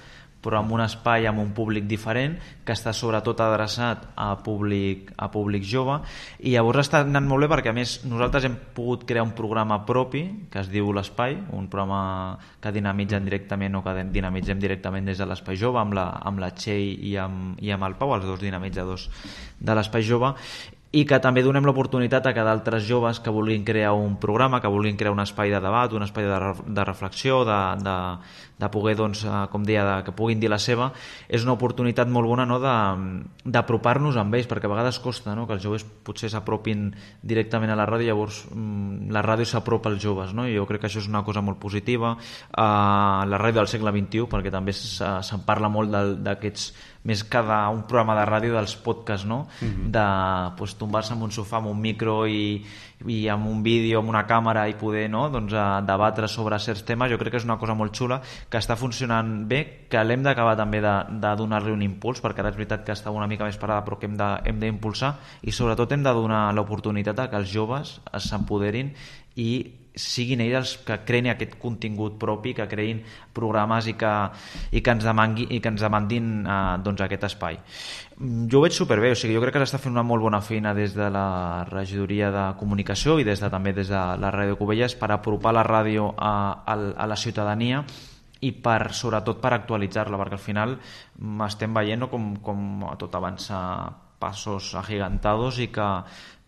però amb un espai amb un públic diferent que està sobretot adreçat a públic, a públic jove, i llavors està anant molt bé perquè a més nosaltres hem pogut crear un programa propi que es diu l'Espai, un programa que dinamitzem directament o que dinamitzem directament des de l'Espai Jove amb la, amb la Txell i amb, i amb el Pau, els dos dinamitzadors de l'Espai Jove, i que també donem l'oportunitat a que d'altres joves que vulguin crear un programa, que vulguin crear un espai de debat, un espai de, de reflexió, de, de, de poder, doncs, com deia, de, que puguin dir la seva, és una oportunitat molt bona, no?, d'apropar-nos amb ells, perquè a vegades costa, no?, que els joves potser s'apropin directament a la ràdio, llavors la ràdio s'apropa als joves, no?, i jo crec que això és una cosa molt positiva. Uh, la ràdio del segle vint-i-u, perquè també se'n parla molt d'aquests, més que d'un programa de ràdio, dels podcasts, no? Mm-hmm. De pues, tombar-se en un sofà amb un micro i, i amb un vídeo, amb una càmera i poder, no? doncs, debatre sobre certs temes. Jo crec que és una cosa molt xula, que està funcionant bé, que l'hem d'acabar també de, de donar-li un impuls, perquè ara és veritat que està una mica més parada, però que hem d'impulsar, i sobretot hem de donar l'oportunitat a que els joves s'empoderin i siguin ells els que creïn aquest contingut propi, que creïn programes i que, i que ens demangui, i que ens demandin eh, doncs aquest espai. Jo ho veig superbé, o sigui, jo crec que s'està fent una molt bona feina des de la regidoria de comunicació i des de, també des de la Ràdio Cubelles per apropar la ràdio a, a, a la ciutadania i per, sobretot per actualitzar-la, perquè al final estem veient, no, com, com tot avança passos agigantados i que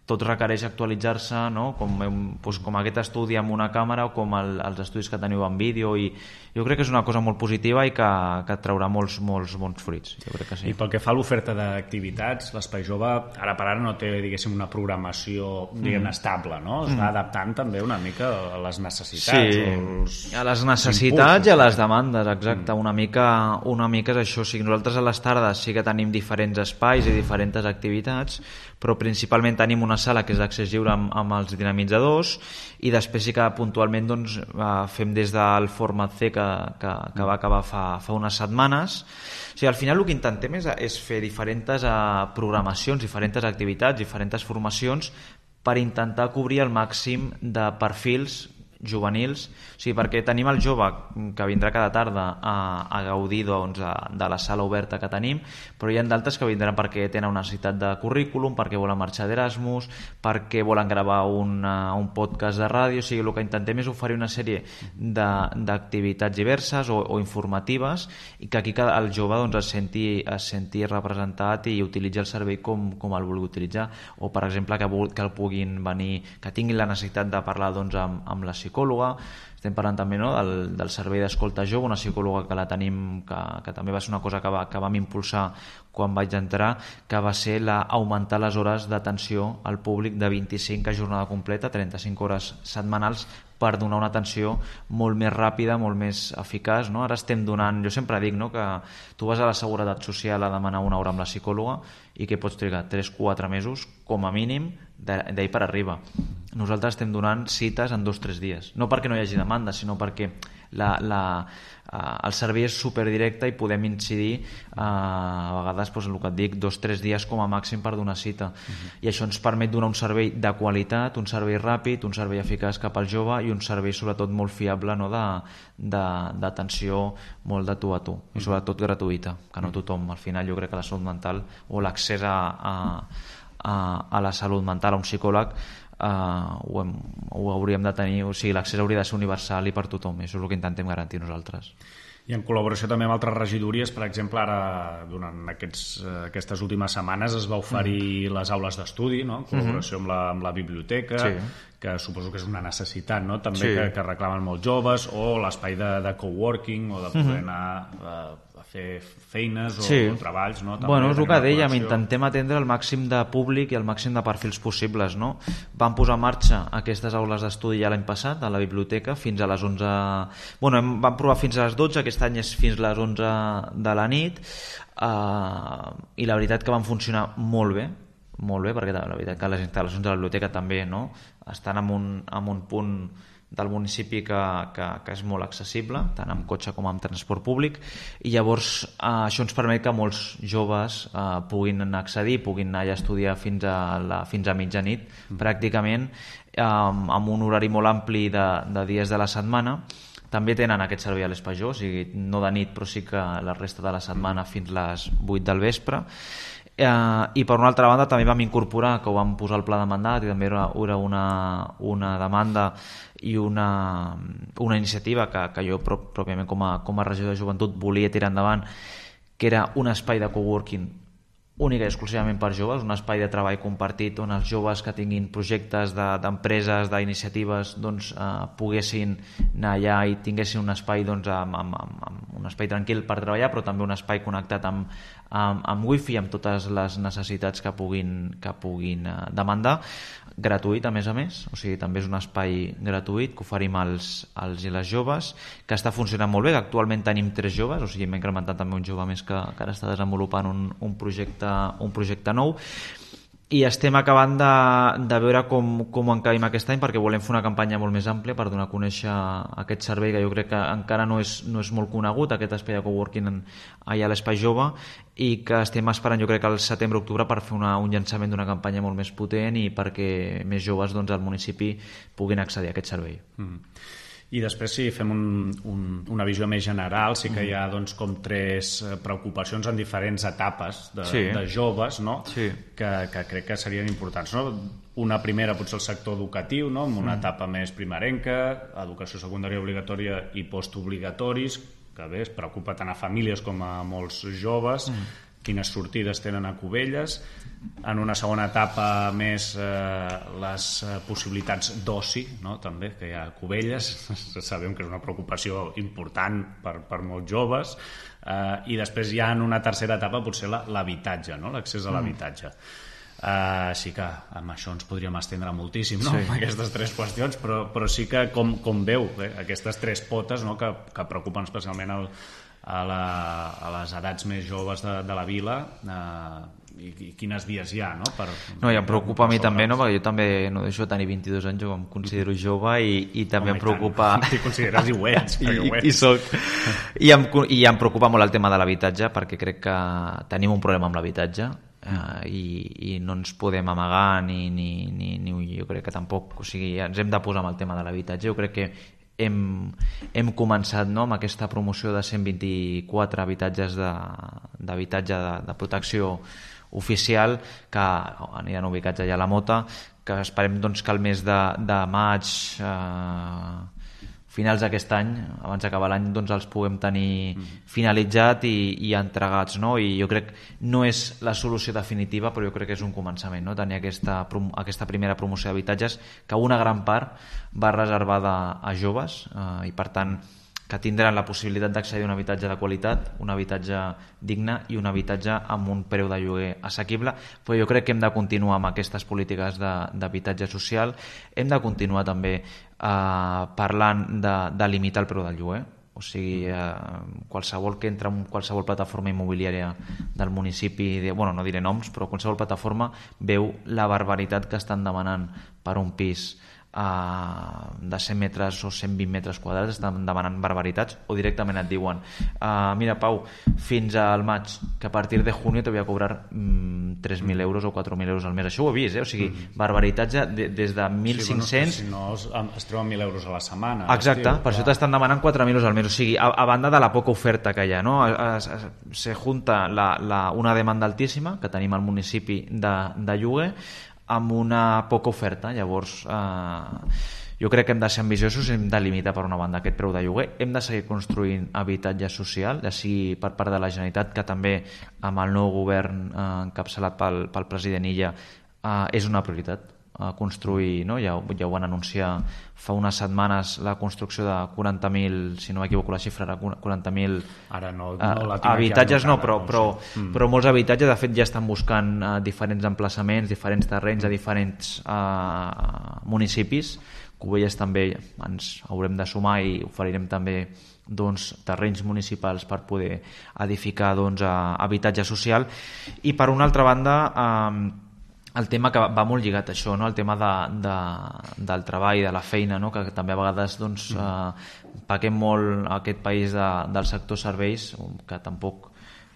tot requereix actualitzar-se, no? com, doncs, com aquest estudi amb una càmera o com el, els estudis que teniu en vídeo, i jo crec que és una cosa molt positiva i que, que traurà molts, molts bons fruits. Jo crec que sí. I pel que fa a l'oferta d'activitats, l'Espai Jove ara per ara no té, diguéssim, una programació diguem, mm. estable, no? Es va mm. adaptant també una mica a les necessitats. Sí, els... a les necessitats impulsos, i a les demandes, exacte. Mm. Una, mica, una mica és això. O sigui, nosaltres a les tardes sí que tenim diferents espais i diferents activitats, però principalment tenim una sala que és d'accés lliure amb, amb els dinamitzadors, i després sí que puntualment doncs, fem des del Format C que, que, que va acabar fa, fa unes setmanes. O sigui, al final el que intentem és, és fer diferents uh, programacions, diferents activitats, diferents formacions per intentar cobrir el màxim de perfils juvenils, o sigui, perquè tenim el jove que vindrà cada tarda a, a gaudir doncs, de, de la sala oberta que tenim, però hi ha d'altres que vindran perquè tenen una necessitat de currículum, perquè volen marxar d'Erasmus, perquè volen gravar una, un podcast de ràdio, o sigui, el que intentem és oferir una sèrie d'activitats diverses o, o informatives i que aquí el jove doncs, es, senti, es senti representat i utilitzi el servei com, com el vulgui utilitzar, o per exemple que, que el puguin venir, que tinguin la necessitat de parlar doncs, amb, amb la psicòloga. Estem parlant també no, del, del servei d'escolta jove, una psicòloga que la tenim, que, que també va ser una cosa que, va, que vam impulsar quan vaig entrar, que va ser la, augmentar les hores d'atenció al públic de vint-i-cinc a jornada completa, trenta-cinc hores setmanals, per donar una atenció molt més ràpida, molt més eficaç. No? Ara estem donant, jo sempre dic no, que tu vas a la Seguretat Social a demanar una hora amb la psicòloga i que pots trigar tres o quatre mesos, com a mínim, d'ahir per arriba. Nosaltres estem donant cites en dos o tres dies. No perquè no hi hagi demanda, sinó perquè la, la, uh, el servei és superdirecte i podem incidir uh, a vegades, doncs, el que et dic, dos o tres dies com a màxim per donar cita. Uh-huh. I això ens permet donar un servei de qualitat, un servei ràpid, un servei eficaç cap al jove i un servei sobretot molt fiable, no, d'atenció molt de tu a tu, uh-huh. i sobretot gratuïta, que no tothom, al final jo crec que la salut mental o l'accés a, a, a, a la salut mental, a un psicòleg, Uh, ho, hem, ho hauríem de tenir, o sigui, l'accés hauria de ser universal i per tothom, això és el que intentem garantir nosaltres. I en col·laboració també amb altres regidories, per exemple, ara durant aquests, aquestes últimes setmanes es va oferir mm. les aules d'estudi, no? En col·laboració mm-hmm. amb, la, amb la biblioteca, sí. que suposo que és una necessitat, no? També sí. que, que reclamen molts joves, o l'espai de, de coworking, o de poder mm-hmm. anar a, a fer feines o, sí. o treballs. No? També bueno, és el que dèiem, intentem atendre el màxim de públic i el màxim de perfils possibles. No? Vam posar en marxa aquestes aules d'estudi ja l'any passat a la biblioteca fins a les onze... Bueno, hem, vam provar fins a les dotze, aquest any és fins a les onze de la nit, uh, i la veritat que van funcionar molt bé, molt bé, perquè la veritat que les instal·lacions de la biblioteca també no? estan en un, en un punt del municipi que, que, que és molt accessible, tant amb cotxe com amb transport públic, i llavors eh, això ens permet que molts joves eh, puguin accedir, puguin anar a estudiar fins a, la, fins a mitjanit, mm. pràcticament, eh, amb un horari molt ampli de, de dies de la setmana. També tenen aquest servei a l'Espajó, o sigui, no de nit, però sí que la resta de la setmana fins les vuit del vespre. Eh, I per una altra banda també vam incorporar, que ho vam posar al pla de mandat, i també era, era una, una demanda i una, una iniciativa que, que jo pròpiament com a, com a regidor de joventut volia tirar endavant, que era un espai de coworking única i exclusivament per joves, un espai de treball compartit on els joves que tinguin projectes d'empreses, de, d'iniciatives, doncs, eh, poguessin anar allà i tinguessin un espai, doncs, amb, amb, amb, amb un espai tranquil per treballar, però també un espai connectat amb, amb, amb wifi, amb totes les necessitats que puguin, que puguin eh, demandar, gratuït a més a més, o sigui, també és un espai gratuït que oferim als, als i les joves, que està funcionant molt bé, que actualment tenim tres joves, o sigui, hem incrementat també un jove més que, que ara està desenvolupant un, un projecte un projecte nou, i estem acabant de, de veure com, com ho encabim aquest any, perquè volem fer una campanya molt més àmplia per donar a conèixer aquest servei que jo crec que encara no és, no és molt conegut, aquest espai de coworking allà a l'Espai Jove, i que estem esperant jo crec que al setembre-octubre per fer una, un llançament d'una campanya molt més potent i perquè més joves doncs, al municipi puguin accedir a aquest servei. Mm. I després, si fem un, un, una visió més general, sí que hi ha doncs, com tres preocupacions en diferents etapes de, sí. de joves, no? sí. que, que crec que serien importants. No? Una primera potser el sector educatiu, no? Amb una mm. etapa més primerenca, educació secundària obligatòria i postobligatoris, que bé, es preocupa tant a famílies com a molts joves, mm. quines sortides tenen a Cubelles. En una segona etapa més eh, les possibilitats d'oci, no? També, que hi ha a Cubelles, sabem que és una preocupació important per, per molts joves, eh, i després ja en una tercera etapa potser l'habitatge, no? L'accés a l'habitatge. Uh, sí que amb això ens podríem estendre moltíssim, no? Sí. Amb aquestes tres qüestions, però, però sí que com, com veu eh? aquestes tres potes, no? que, que preocupen especialment el, a, la, a les edats més joves de, de la vila, eh, i, i quines vies hi ha, no? Per, no, i em preocupa a mi també, no? Perquè jo també no deixo de tenir vint-i-dos anys, jo em considero jove i, i també Home, em preocupa... T'hi consideres i ho ets, I, ho ets. I, soc. I, em, I em preocupa molt el tema de l'habitatge, perquè crec que tenim un problema amb l'habitatge. uh, i, i no ens podem amagar ni, ni, ni, ni jo crec que tampoc, o sigui, ens hem de posar amb el tema de l'habitatge. Jo crec que hem, hem començat, no?, amb aquesta promoció de cent vint-i-quatre habitatges d'habitatge de, de, de protecció oficial que aniran ubicats allà a la Mota, que esperem doncs, que el mes de, de maig, eh, finals d'aquest any, abans d'acabar l'any, doncs els puguem tenir finalitzat i, i entregats, no? I jo crec no és la solució definitiva, però jo crec que és un començament, no? Tenir aquesta, aquesta primera promoció d'habitatges, que una gran part va reservada a joves eh, i per tant que tindran la possibilitat d'accedir a un habitatge de qualitat, un habitatge digne i un habitatge amb un preu de lloguer assequible. Però jo crec que hem de continuar amb aquestes polítiques d'habitatge social. Hem de continuar també eh, parlant de, de limitar el preu del lloguer. O sigui, eh, qualsevol que entra en qualsevol plataforma immobiliària del municipi, de, bueno, no diré noms, però qualsevol plataforma veu la barbaritat que estan demanant per un pis Uh, de cent metres o cent vint metres quadrats, estan demanant barbaritats, o directament et diuen uh, mira Pau, fins al maig que a partir de junio te voy a cobrar mm, tres mil euros o quatre mil euros al mes. Això ho he vist, eh? O sigui, mm. barbaritats de, des de mil cinc-cents... Sí, bueno, si no es, es treuen mil euros a la setmana. Exacte, estiu, per això t'estan demanant quatre mil euros al mes. O sigui, a, a banda de la poca oferta que hi ha, no? Es, es, se junta la, la, una demanda altíssima que tenim al municipi de, de lloguer amb una poca oferta. Llavors eh, jo crec que hem de ser ambiciosos, hem de limitar per una banda aquest preu de lloguer, hem de seguir construint habitatge social, ja sigui per part de la Generalitat, que també amb el nou govern eh, encapçalat pel, pel president Illa eh, és una prioritat a construir, no? Ja, ja ho van anunciar fa unes setmanes, la construcció de quaranta mil, si no m'equivoco la xifra era quaranta mil ara no, no la habitatges, no, però, no però, sé. mm. però molts habitatges de fet ja estan buscant uh, diferents emplaçaments, diferents terrenys a diferents uh, municipis. Cubelles també ens haurem de sumar i oferirem també doncs, terrenys municipals per poder edificar doncs, uh, habitatge social. I per una altra banda um, el tema que va molt lligat a això, no? El tema de, de, del treball, de la feina, no? Que també a vegades doncs, eh, paguem molt a aquest país de, del sector serveis, que tampoc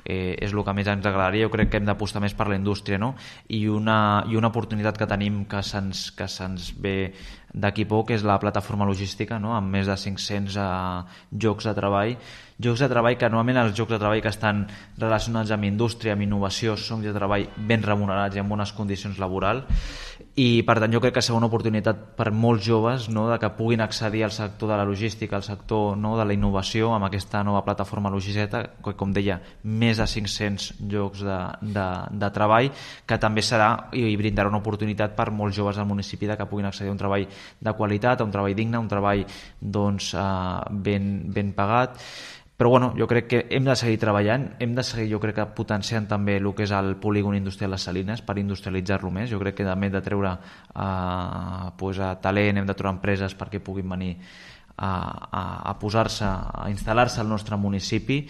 eh, és el que més ens agradaria. Jo crec que hem d'apostar més per la indústria, no? I una, i una oportunitat que tenim que se'ns que se'ns ve d'aquí poc és la plataforma logística, no? Amb més de cinc-cents eh, llocs de treball llocs de treball que normalment els llocs de treball que estan relacionats amb indústria, amb innovació, són llocs de treball ben remunerats i amb bones condicions laborals, i per tant jo crec que serà una oportunitat per molts joves, no?, de que puguin accedir al sector de la logística, al sector, no?, de la innovació amb aquesta nova plataforma logística, que com deia, més de cinc-cents llocs de, de, de treball, que també serà i brindarà una oportunitat per molts joves del municipi de que puguin accedir a un treball de qualitat, a un treball digne, a un treball doncs, eh, ben, ben pagat. Però bueno, jo crec que hem de seguir treballant, hem de seguir, jo crec que potenciant també el que és el polígon industrial Les Salines per industrialitzar-lo més. Jo crec que també hem de treure eh, pues, a talent, hem de treure empreses perquè puguin venir a, a, a posar-se, a instal·lar-se al nostre municipi,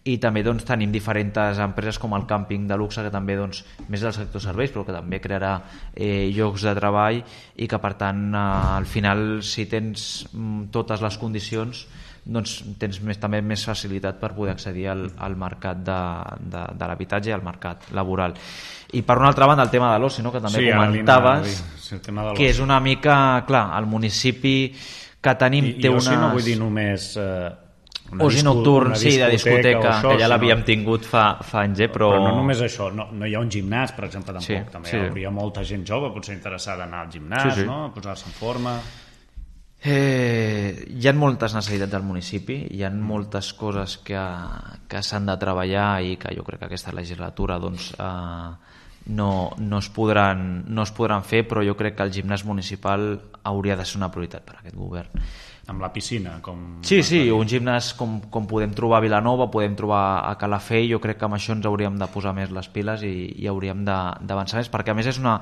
i també doncs, tenim diferents empreses com el càmping de luxe, que també doncs, més del sector serveis, però que també crearà eh, llocs de treball, i que per tant eh, al final, si tens mm, totes les condicions, doncs tens més, també més facilitat per poder accedir al, al mercat de, de, de l'habitatge i al mercat laboral. I per una altra banda el tema de l'oci, no?, que també sí, comentaves, sí, que és una mica, clar, el municipi que tenim I, té i unes... I no vull dir només... Eh... Oci nocturn, sí, de discoteca, això, que ja l'havíem no... tingut fa, fa anys, eh, però... Però no només això, no, no hi ha un gimnàs, per exemple, tampoc. Sí, també sí. Hi hauria molta gent jove, potser interessada en anar al gimnàs, sí, sí. no?, posar-se en forma... Eh, hi ha moltes necessitats al municipi, hi ha moltes coses que, que s'han de treballar i que jo crec que aquesta legislatura doncs, eh, no, no, es podran, no es podran fer, però jo crec que el gimnàs municipal hauria de ser una prioritat per a aquest govern. Amb la piscina, com... Sí, sí, un gimnàs com, com podem trobar a Vilanova, podem trobar a Calafell, jo crec que amb això ens hauríem de posar més les piles i, i hauríem d'avançar més, perquè a més és una,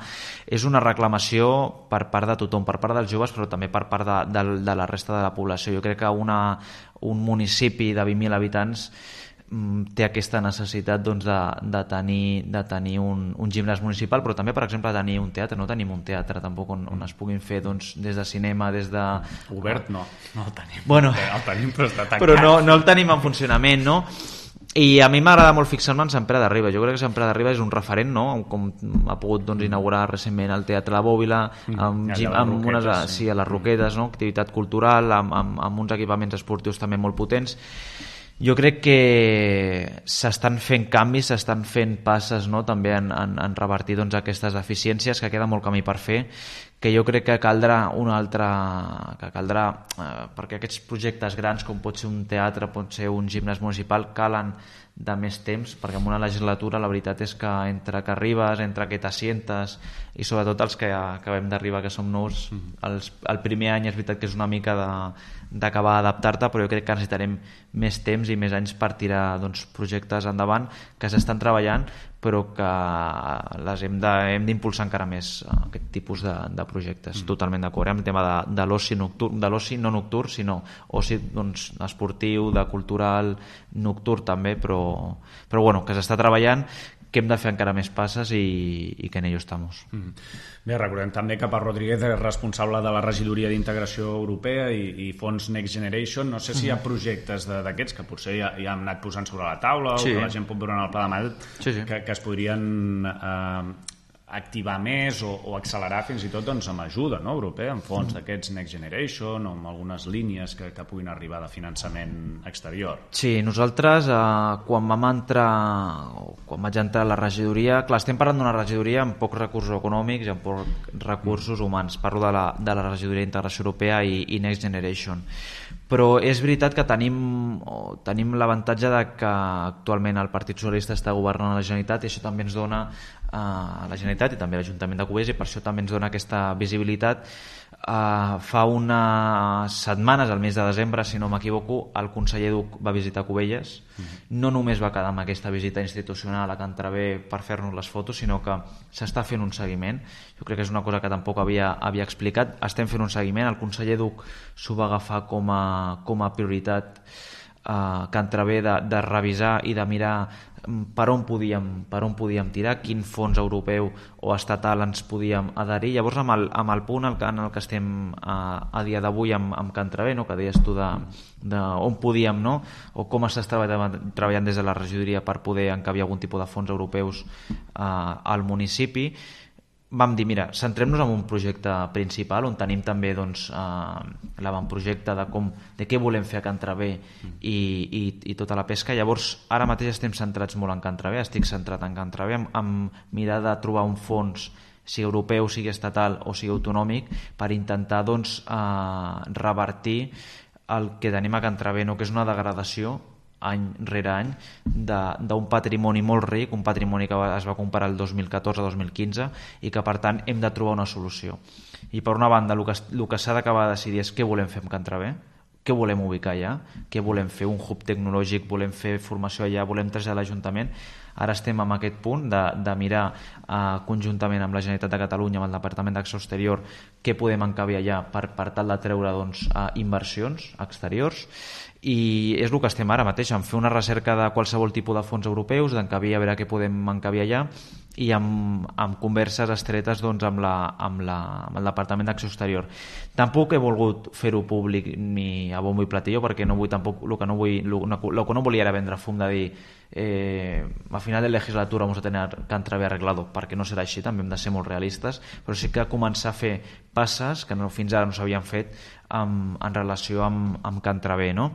és una reclamació per part de tothom, per part dels joves, però també per part de, de, de la resta de la població. Jo crec que una, un municipi de vint mil habitants té aquesta necessitat doncs, de, de tenir, de tenir un, un gimnàs municipal, però també, per exemple, tenir un teatre. No tenim un teatre tampoc on, on es puguin fer doncs, des de cinema, des de... Obert no, no el tenim. Bueno, el tenim, però està tancat. Però no, no el tenim en funcionament, no? I a mi m'agrada molt fixar-me en Sant Pere de Riba. Jo crec que Sant Pere de Riba és un referent, no? Com ha pogut doncs, inaugurar recentment el Teatre La Bòbila, amb, mm, gim, amb roquetes, unes, sí. sí, a les Roquetes, no? Activitat cultural, amb, amb, amb uns equipaments esportius també molt potents. Jo crec que s'estan fent canvis, s'estan fent passes, no? També en, en, en revertir doncs, aquestes deficiències, que queda molt camí per fer, que jo crec que caldrà una altra... que caldrà, eh, perquè aquests projectes grans, com pot ser un teatre, pot ser un gimnàs municipal, calen de més temps, perquè en una legislatura la veritat és que entre que arribes, entre que t'assientes, i sobretot els que acabem d'arribar, que som nous, els, el primer any és veritat que és una mica de d'acabar d'adaptar-te, però jo crec que necessitarem més temps i més anys per tirar doncs, projectes endavant que s'estan treballant, però que les hem de, hem d'impulsar encara més aquest tipus de, de projectes. Mm. Totalment d'acord amb el tema de, de l'oci nocturn, de l'oci no nocturn, sinó oci doncs, esportiu, de cultural, nocturn també, però, però bueno, que s'està treballant, que hem de fer encara més passes i, i que en ello estamos. Mm. Bé, recordem també que Parc Rodríguez és responsable de la regidoria d'Integració Europea i, i fons Next Generation. No sé si hi ha projectes d'aquests que potser ja, ja hem anat posant sobre la taula sí. o que la gent pot veure en el pla de mà sí, sí. que, que es podrien eh, activar més o, o accelerar fins i tot doncs, amb ajuda no, europea, amb fons mm. d'aquests Next Generation o amb algunes línies que, que puguin arribar de finançament exterior. Sí, nosaltres eh, quan vam entrar o quan vaig entrar a la regidoria, clar, estem parlant d'una regidoria amb pocs recursos econòmics i amb pocs recursos mm. humans, parlo de la, de la regidoria d'Integració Europea i, i Next Generation, però és veritat que tenim, oh, tenim l'avantatge de que actualment el Partit Socialista està governant la Generalitat i això també ens dona a la Generalitat i també a l'Ajuntament de Cubelles i per això també ens dona aquesta visibilitat. Uh, fa unes setmanes, al mes de desembre, si no m'equivoco, el conseller Duc va visitar Cubelles. Mm-hmm. No només va quedar amb aquesta visita institucional a Can Traver per fer-nos les fotos, sinó que s'està fent un seguiment. Jo crec que és una cosa que tampoc havia, havia explicat. Estem fent un seguiment. El conseller Duc s'ho va agafar com a, com a prioritat uh, Can Traver de, de revisar i de mirar per on podíem, per on podíem tirar, quin fons europeu o estatal ens podíem adherir. Llavors amb el, amb el punt en el que estem a, a dia d'avui amb, amb Can Traver, no? Que deies tu de, de on podíem, no? O com estàs treballant, treballant des de la regidoria per poder encabir algun tipus de fons europeus eh, al municipi. Vam dir, mira, centrem-nos en un projecte principal on tenim també doncs, eh, l'avantprojecte de, com, de què volem fer a Can Traver i, i, i tota la pesca. Llavors, ara mateix estem centrats molt en Can Traver, estic centrat en Can Traver, amb, amb mirar de trobar un fons, sigui europeu, sigui estatal o sigui autonòmic, per intentar doncs, eh, revertir el que tenim a Can Traver, no? Que és una degradació any rere any d'un patrimoni molt ric, un patrimoni que es va comparar el dos mil catorze dos mil quinze i que per tant hem de trobar una solució. I per una banda el que, el que s'ha d'acabar de decidir és què volem fer amb Can Traver, què volem ubicar allà, què volem fer, un hub tecnològic, volem fer formació allà, volem traslladar a l'Ajuntament. Ara estem en aquest punt de, de mirar eh, conjuntament amb la Generalitat de Catalunya, amb el Departament d'Acció Exterior, què podem encabir allà per, per tal de treure doncs, eh, inversions exteriors. I és el que estem ara mateix, en fer una recerca de qualsevol tipus de fons europeus, d'encabir a veure què podem encabir allà i amb, amb converses estretes doncs, amb, la, amb, la, amb el Departament d'Acció Exterior. Tampoc he volgut fer-ho públic ni a bombo i platillo perquè no vull tampoc, el que no, vull, el, el que no volia era vendre fum de dir eh, a final de legislatura vamos a tener Can Traver arreglado, perquè no serà així, també hem de ser molt realistes, però sí que començar a fer passes que no, fins ara no s'havien fet amb, en relació amb, amb Can Traver, no?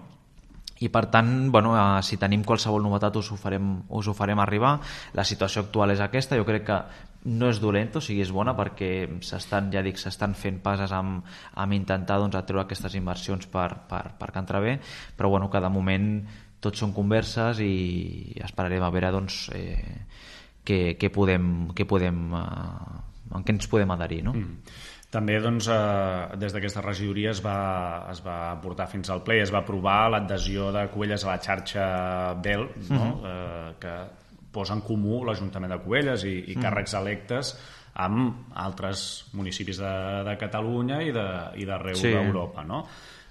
I per tant, bueno, eh, si tenim qualsevol novetat us ho, farem, us ho farem arribar. La situació actual és aquesta, jo crec que no és dolenta, o sigui, és bona perquè s'estan, ja dic, s'estan fent passes amb, amb intentar doncs, atreure aquestes inversions per, per, per Can Traver, però bueno, que de moment tot són converses i esperarem a veure doncs, eh, què, què podem, què podem, eh, en què ens podem adherir, no? Mm. També doncs, eh, des d'aquesta regidoria es va, es va portar fins al ple i es va aprovar l'adhesió de Cubelles a la xarxa B E L, no? Uh-huh. eh, que posa en comú l'Ajuntament de Cubelles i, i càrrecs electes amb altres municipis de, de Catalunya i d'arreu sí. d'Europa, no?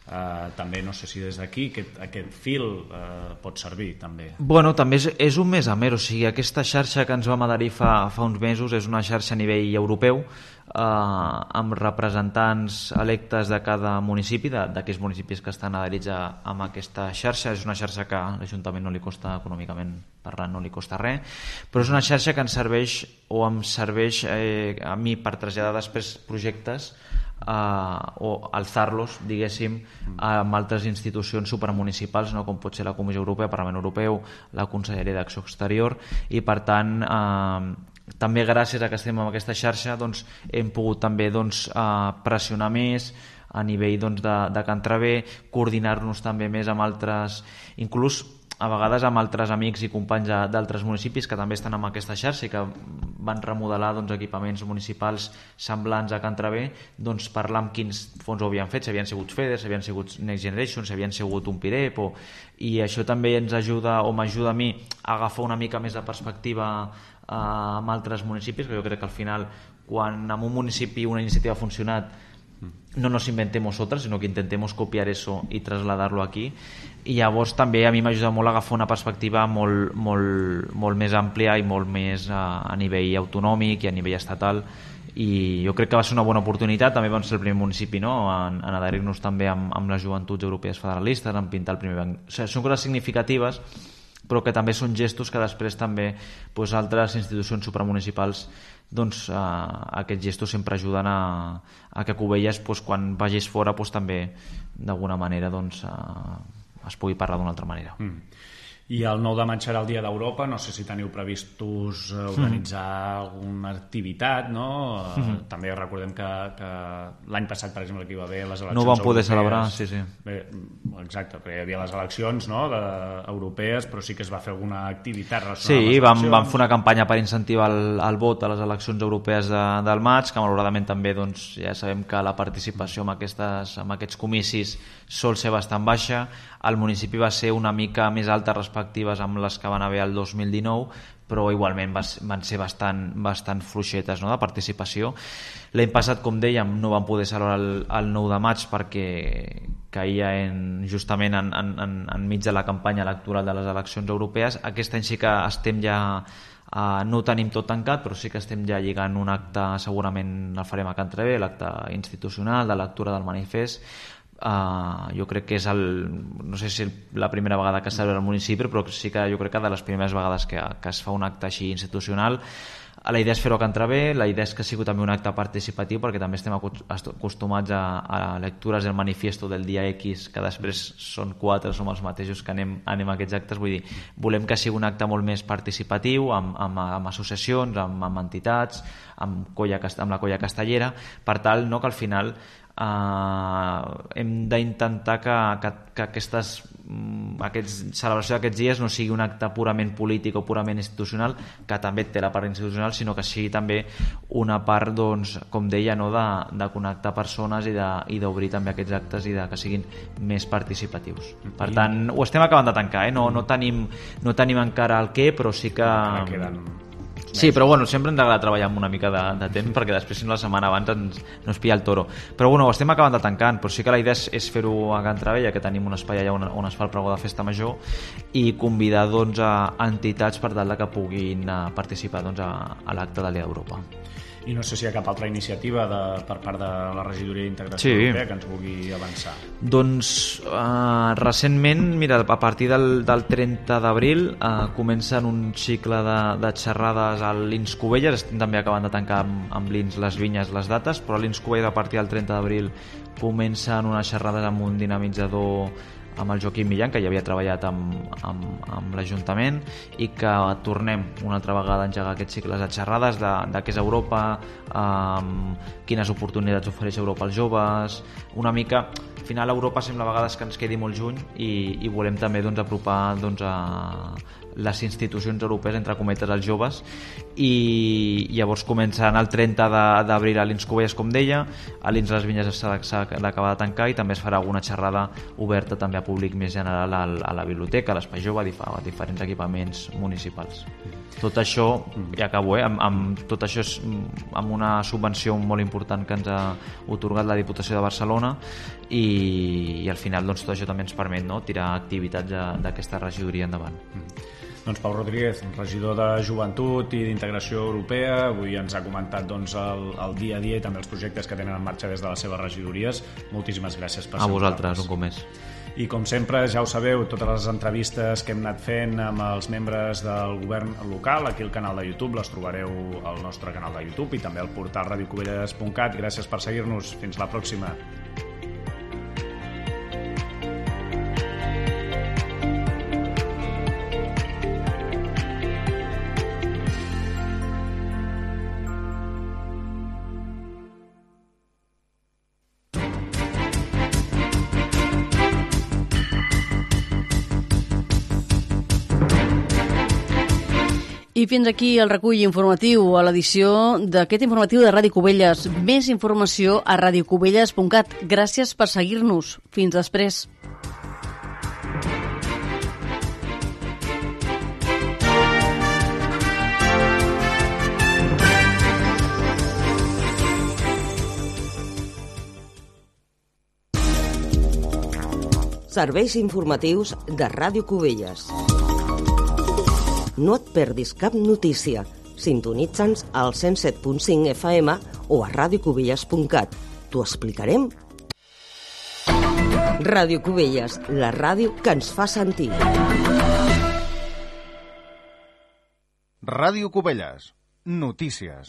Uh, també no sé si des d'aquí aquest, aquest fil uh, pot servir també. Bueno, també és, és un més a més, o sigui, aquesta xarxa que ens vam adherir fa, fa uns mesos és una xarxa a nivell europeu eh, amb representants electes de cada municipi, d'aquells municipis que estan adherits a, amb aquesta xarxa. És una xarxa que a l'Ajuntament no li costa, econòmicament parlant, no li costa res, però és una xarxa que ens serveix o em serveix eh, a mi per traslladar després projectes Uh, o alçar-los, diguéssim, amb altres institucions supramunicipals, no? Com pot ser la Comissió Europea, el Parlament Europeu, la Conselleria d'Acció Exterior, i per tant uh, també gràcies a que estem en aquesta xarxa doncs, hem pogut també doncs, uh, pressionar més a nivell doncs, de, de Can Traver, coordinar-nos també més amb altres, inclús a vegades amb altres amics i companys d'altres municipis que també estan en aquesta xarxa i que van remodelar doncs, equipaments municipals semblants a Can Traver, doncs, parlar amb quins fons ho havien fet, si havien sigut FEDER, si havien sigut Next Generation, si havien sigut un PIREP, o... i això també ens ajuda o m'ajuda a mi a agafar una mica més de perspectiva eh, amb altres municipis, que jo crec que al final quan en un municipi una iniciativa ha funcionat no nos inventemos otras, sino que intentemos copiar eso y trasladarlo aquí. I llavors també a mi m'ajuda molt a agafar una perspectiva molt, molt, molt més àmplia i molt més a, a nivell autonòmic i a nivell estatal, i jo crec que va ser una bona oportunitat. També vam ser el primer municipi, no?, en, en adherir-nos també amb, amb les joventuts europees federalistes, en pintar el primer banc. O sigui, són coses significatives, però que també són gestos que després també doncs, altres institucions supramunicipals doncs, eh, aquests gestos sempre ajuden a, a que Cubelles doncs, quan vagis fora doncs, també d'alguna manera doncs, eh, es pugui parlar d'una altra manera. Mm. I el nou de maig serà el Dia d'Europa, no sé si teniu previstos organitzar mm. alguna activitat, no? Mm-hmm. També recordem que, que l'any passat, per exemple, que hi va haver les eleccions no van poder europees, celebrar, sí, sí. Bé, exacte, perquè hi havia les eleccions, no?, de, europees, però sí que es va fer alguna activitat relacionada sí, amb les vam, eleccions. vam fer una campanya per incentivar el, el vot a les eleccions europees de, del maig, que malauradament també doncs, ja sabem que la participació en, aquestes, en aquests comicis sol ser bastant baixa. El municipi va ser una mica més alta respectives amb les que van haver el dos mil dinou, però igualment van ser bastant, bastant fluixetes, no?, de participació. L'any passat, com dèiem, no van poder celebrar el, el nou de maig perquè caïa en, justament en, en, enmig de la campanya electoral de les eleccions europees. Aquest any sí que estem ja... Uh, no ho tenim tot tancat, però sí que estem ja lligant un acte, segurament el farem a Can Traver, l'acte institucional de lectura del manifest. Uh, jo crec que és el, no sé si la primera vegada que es celebra al municipi, però sí que jo crec que de les primeres vegades que, que es fa un acte així institucional. La idea és fer-ho a Can Traver, la idea és que sigui també un acte participatiu, perquè també estem acostumats a, a lectures del manifiesto del dia X, que després són quatre, som els mateixos que anem, anem a aquests actes. Vull dir, volem que sigui un acte molt més participatiu, amb, amb, amb associacions, amb, amb entitats, amb, colla, amb la colla castellera, per tal no, que al final Uh, hem d'intentar que, que, que aquestes aquests, celebració d'aquests dies no sigui un acte purament polític o purament institucional, que també té la part institucional, sinó que sigui també una part, doncs, com deia, no, de, de connectar persones i d'obrir també aquests actes i de que siguin més participatius. Per tant, ho estem acabant de tancar, eh? no, no, tenim, no tenim encara el què, però sí que... Queden... Sí, però bueno, sempre ens agrada treballar amb una mica de, de temps, perquè després si no la setmana abans ens, no es pilla el toro. Però bueno, ho estem acabant de tancant, però sí que la idea és, és fer-ho a Can Traver, ja que tenim un espai allà on, on es fa el pregó de festa major, i convidar doncs, a entitats per tal que puguin participar doncs, a, a l'acte de l'Ia d'Europa. I no sé si hi ha cap altra iniciativa de, per part de la Regidoria d'Integració sí. Europea que ens vulgui avançar. Doncs uh, recentment, mira, a partir del, del trenta d'abril uh, comencen un cicle de, de xerrades a l'I N S Cubelles. Estem també acabant de tancar amb, amb l'I N S les vinyes, les dates, però a l'I N S Cubelles a partir del trenta d'abril comencen unes xerrades amb un dinamitzador amb el Joaquim Millán, que ja havia treballat amb, amb, amb l'Ajuntament, i que tornem una altra vegada a engegar aquests cicles de xerrades de, de què és Europa, um, quines oportunitats ofereix Europa als joves, una mica... Al final Europa sembla a vegades que ens quedi molt lluny i, i volem també doncs, apropar doncs, a les institucions europees, entre cometes, als joves, i llavors començaran el trenta d'abril a l'I N S Cubelles, com deia, a l'I N S Les Vinyes s'ha d'acabar de tancar, i també es farà alguna xerrada oberta també a públic més general a, a la biblioteca, a l'Espai Jove, a diferents equipaments municipals. Tot això, ja acabo, eh? amb, amb, tot això és amb una subvenció molt important que ens ha otorgat la Diputació de Barcelona, i i, i al final doncs, tot això també ens permet, no?, tirar activitats d'aquesta regidoria endavant. Mm. Doncs Pau Rodríguez, regidor de Joventut i d'Integració Europea, avui ens ha comentat doncs, el, el dia a dia i també els projectes que tenen en marxa des de les seves regidories. Moltíssimes gràcies per ser A vosaltres, un cop més. I com sempre, ja ho sabeu, totes les entrevistes que hem anat fent amb els membres del govern local, aquí al canal de YouTube, les trobareu al nostre canal de YouTube i també al portal radio cubelles punt cat. Gràcies per seguir-nos. Fins la pròxima. I fins aquí el recull informatiu a l'edició d'aquest informatiu de Ràdio Cubelles. Més informació a radio cubelles punt cat. Gràcies per seguir-nos. Fins després. Serveis informatius de Ràdio Cubelles. No et perdis cap notícia. Sintonitza'ns al cent set punt cinc F M o a radio cubelles punt cat. T'ho explicarem. Ràdio Cubelles, la ràdio que ens fa sentir. Ràdio Cubelles, notícies.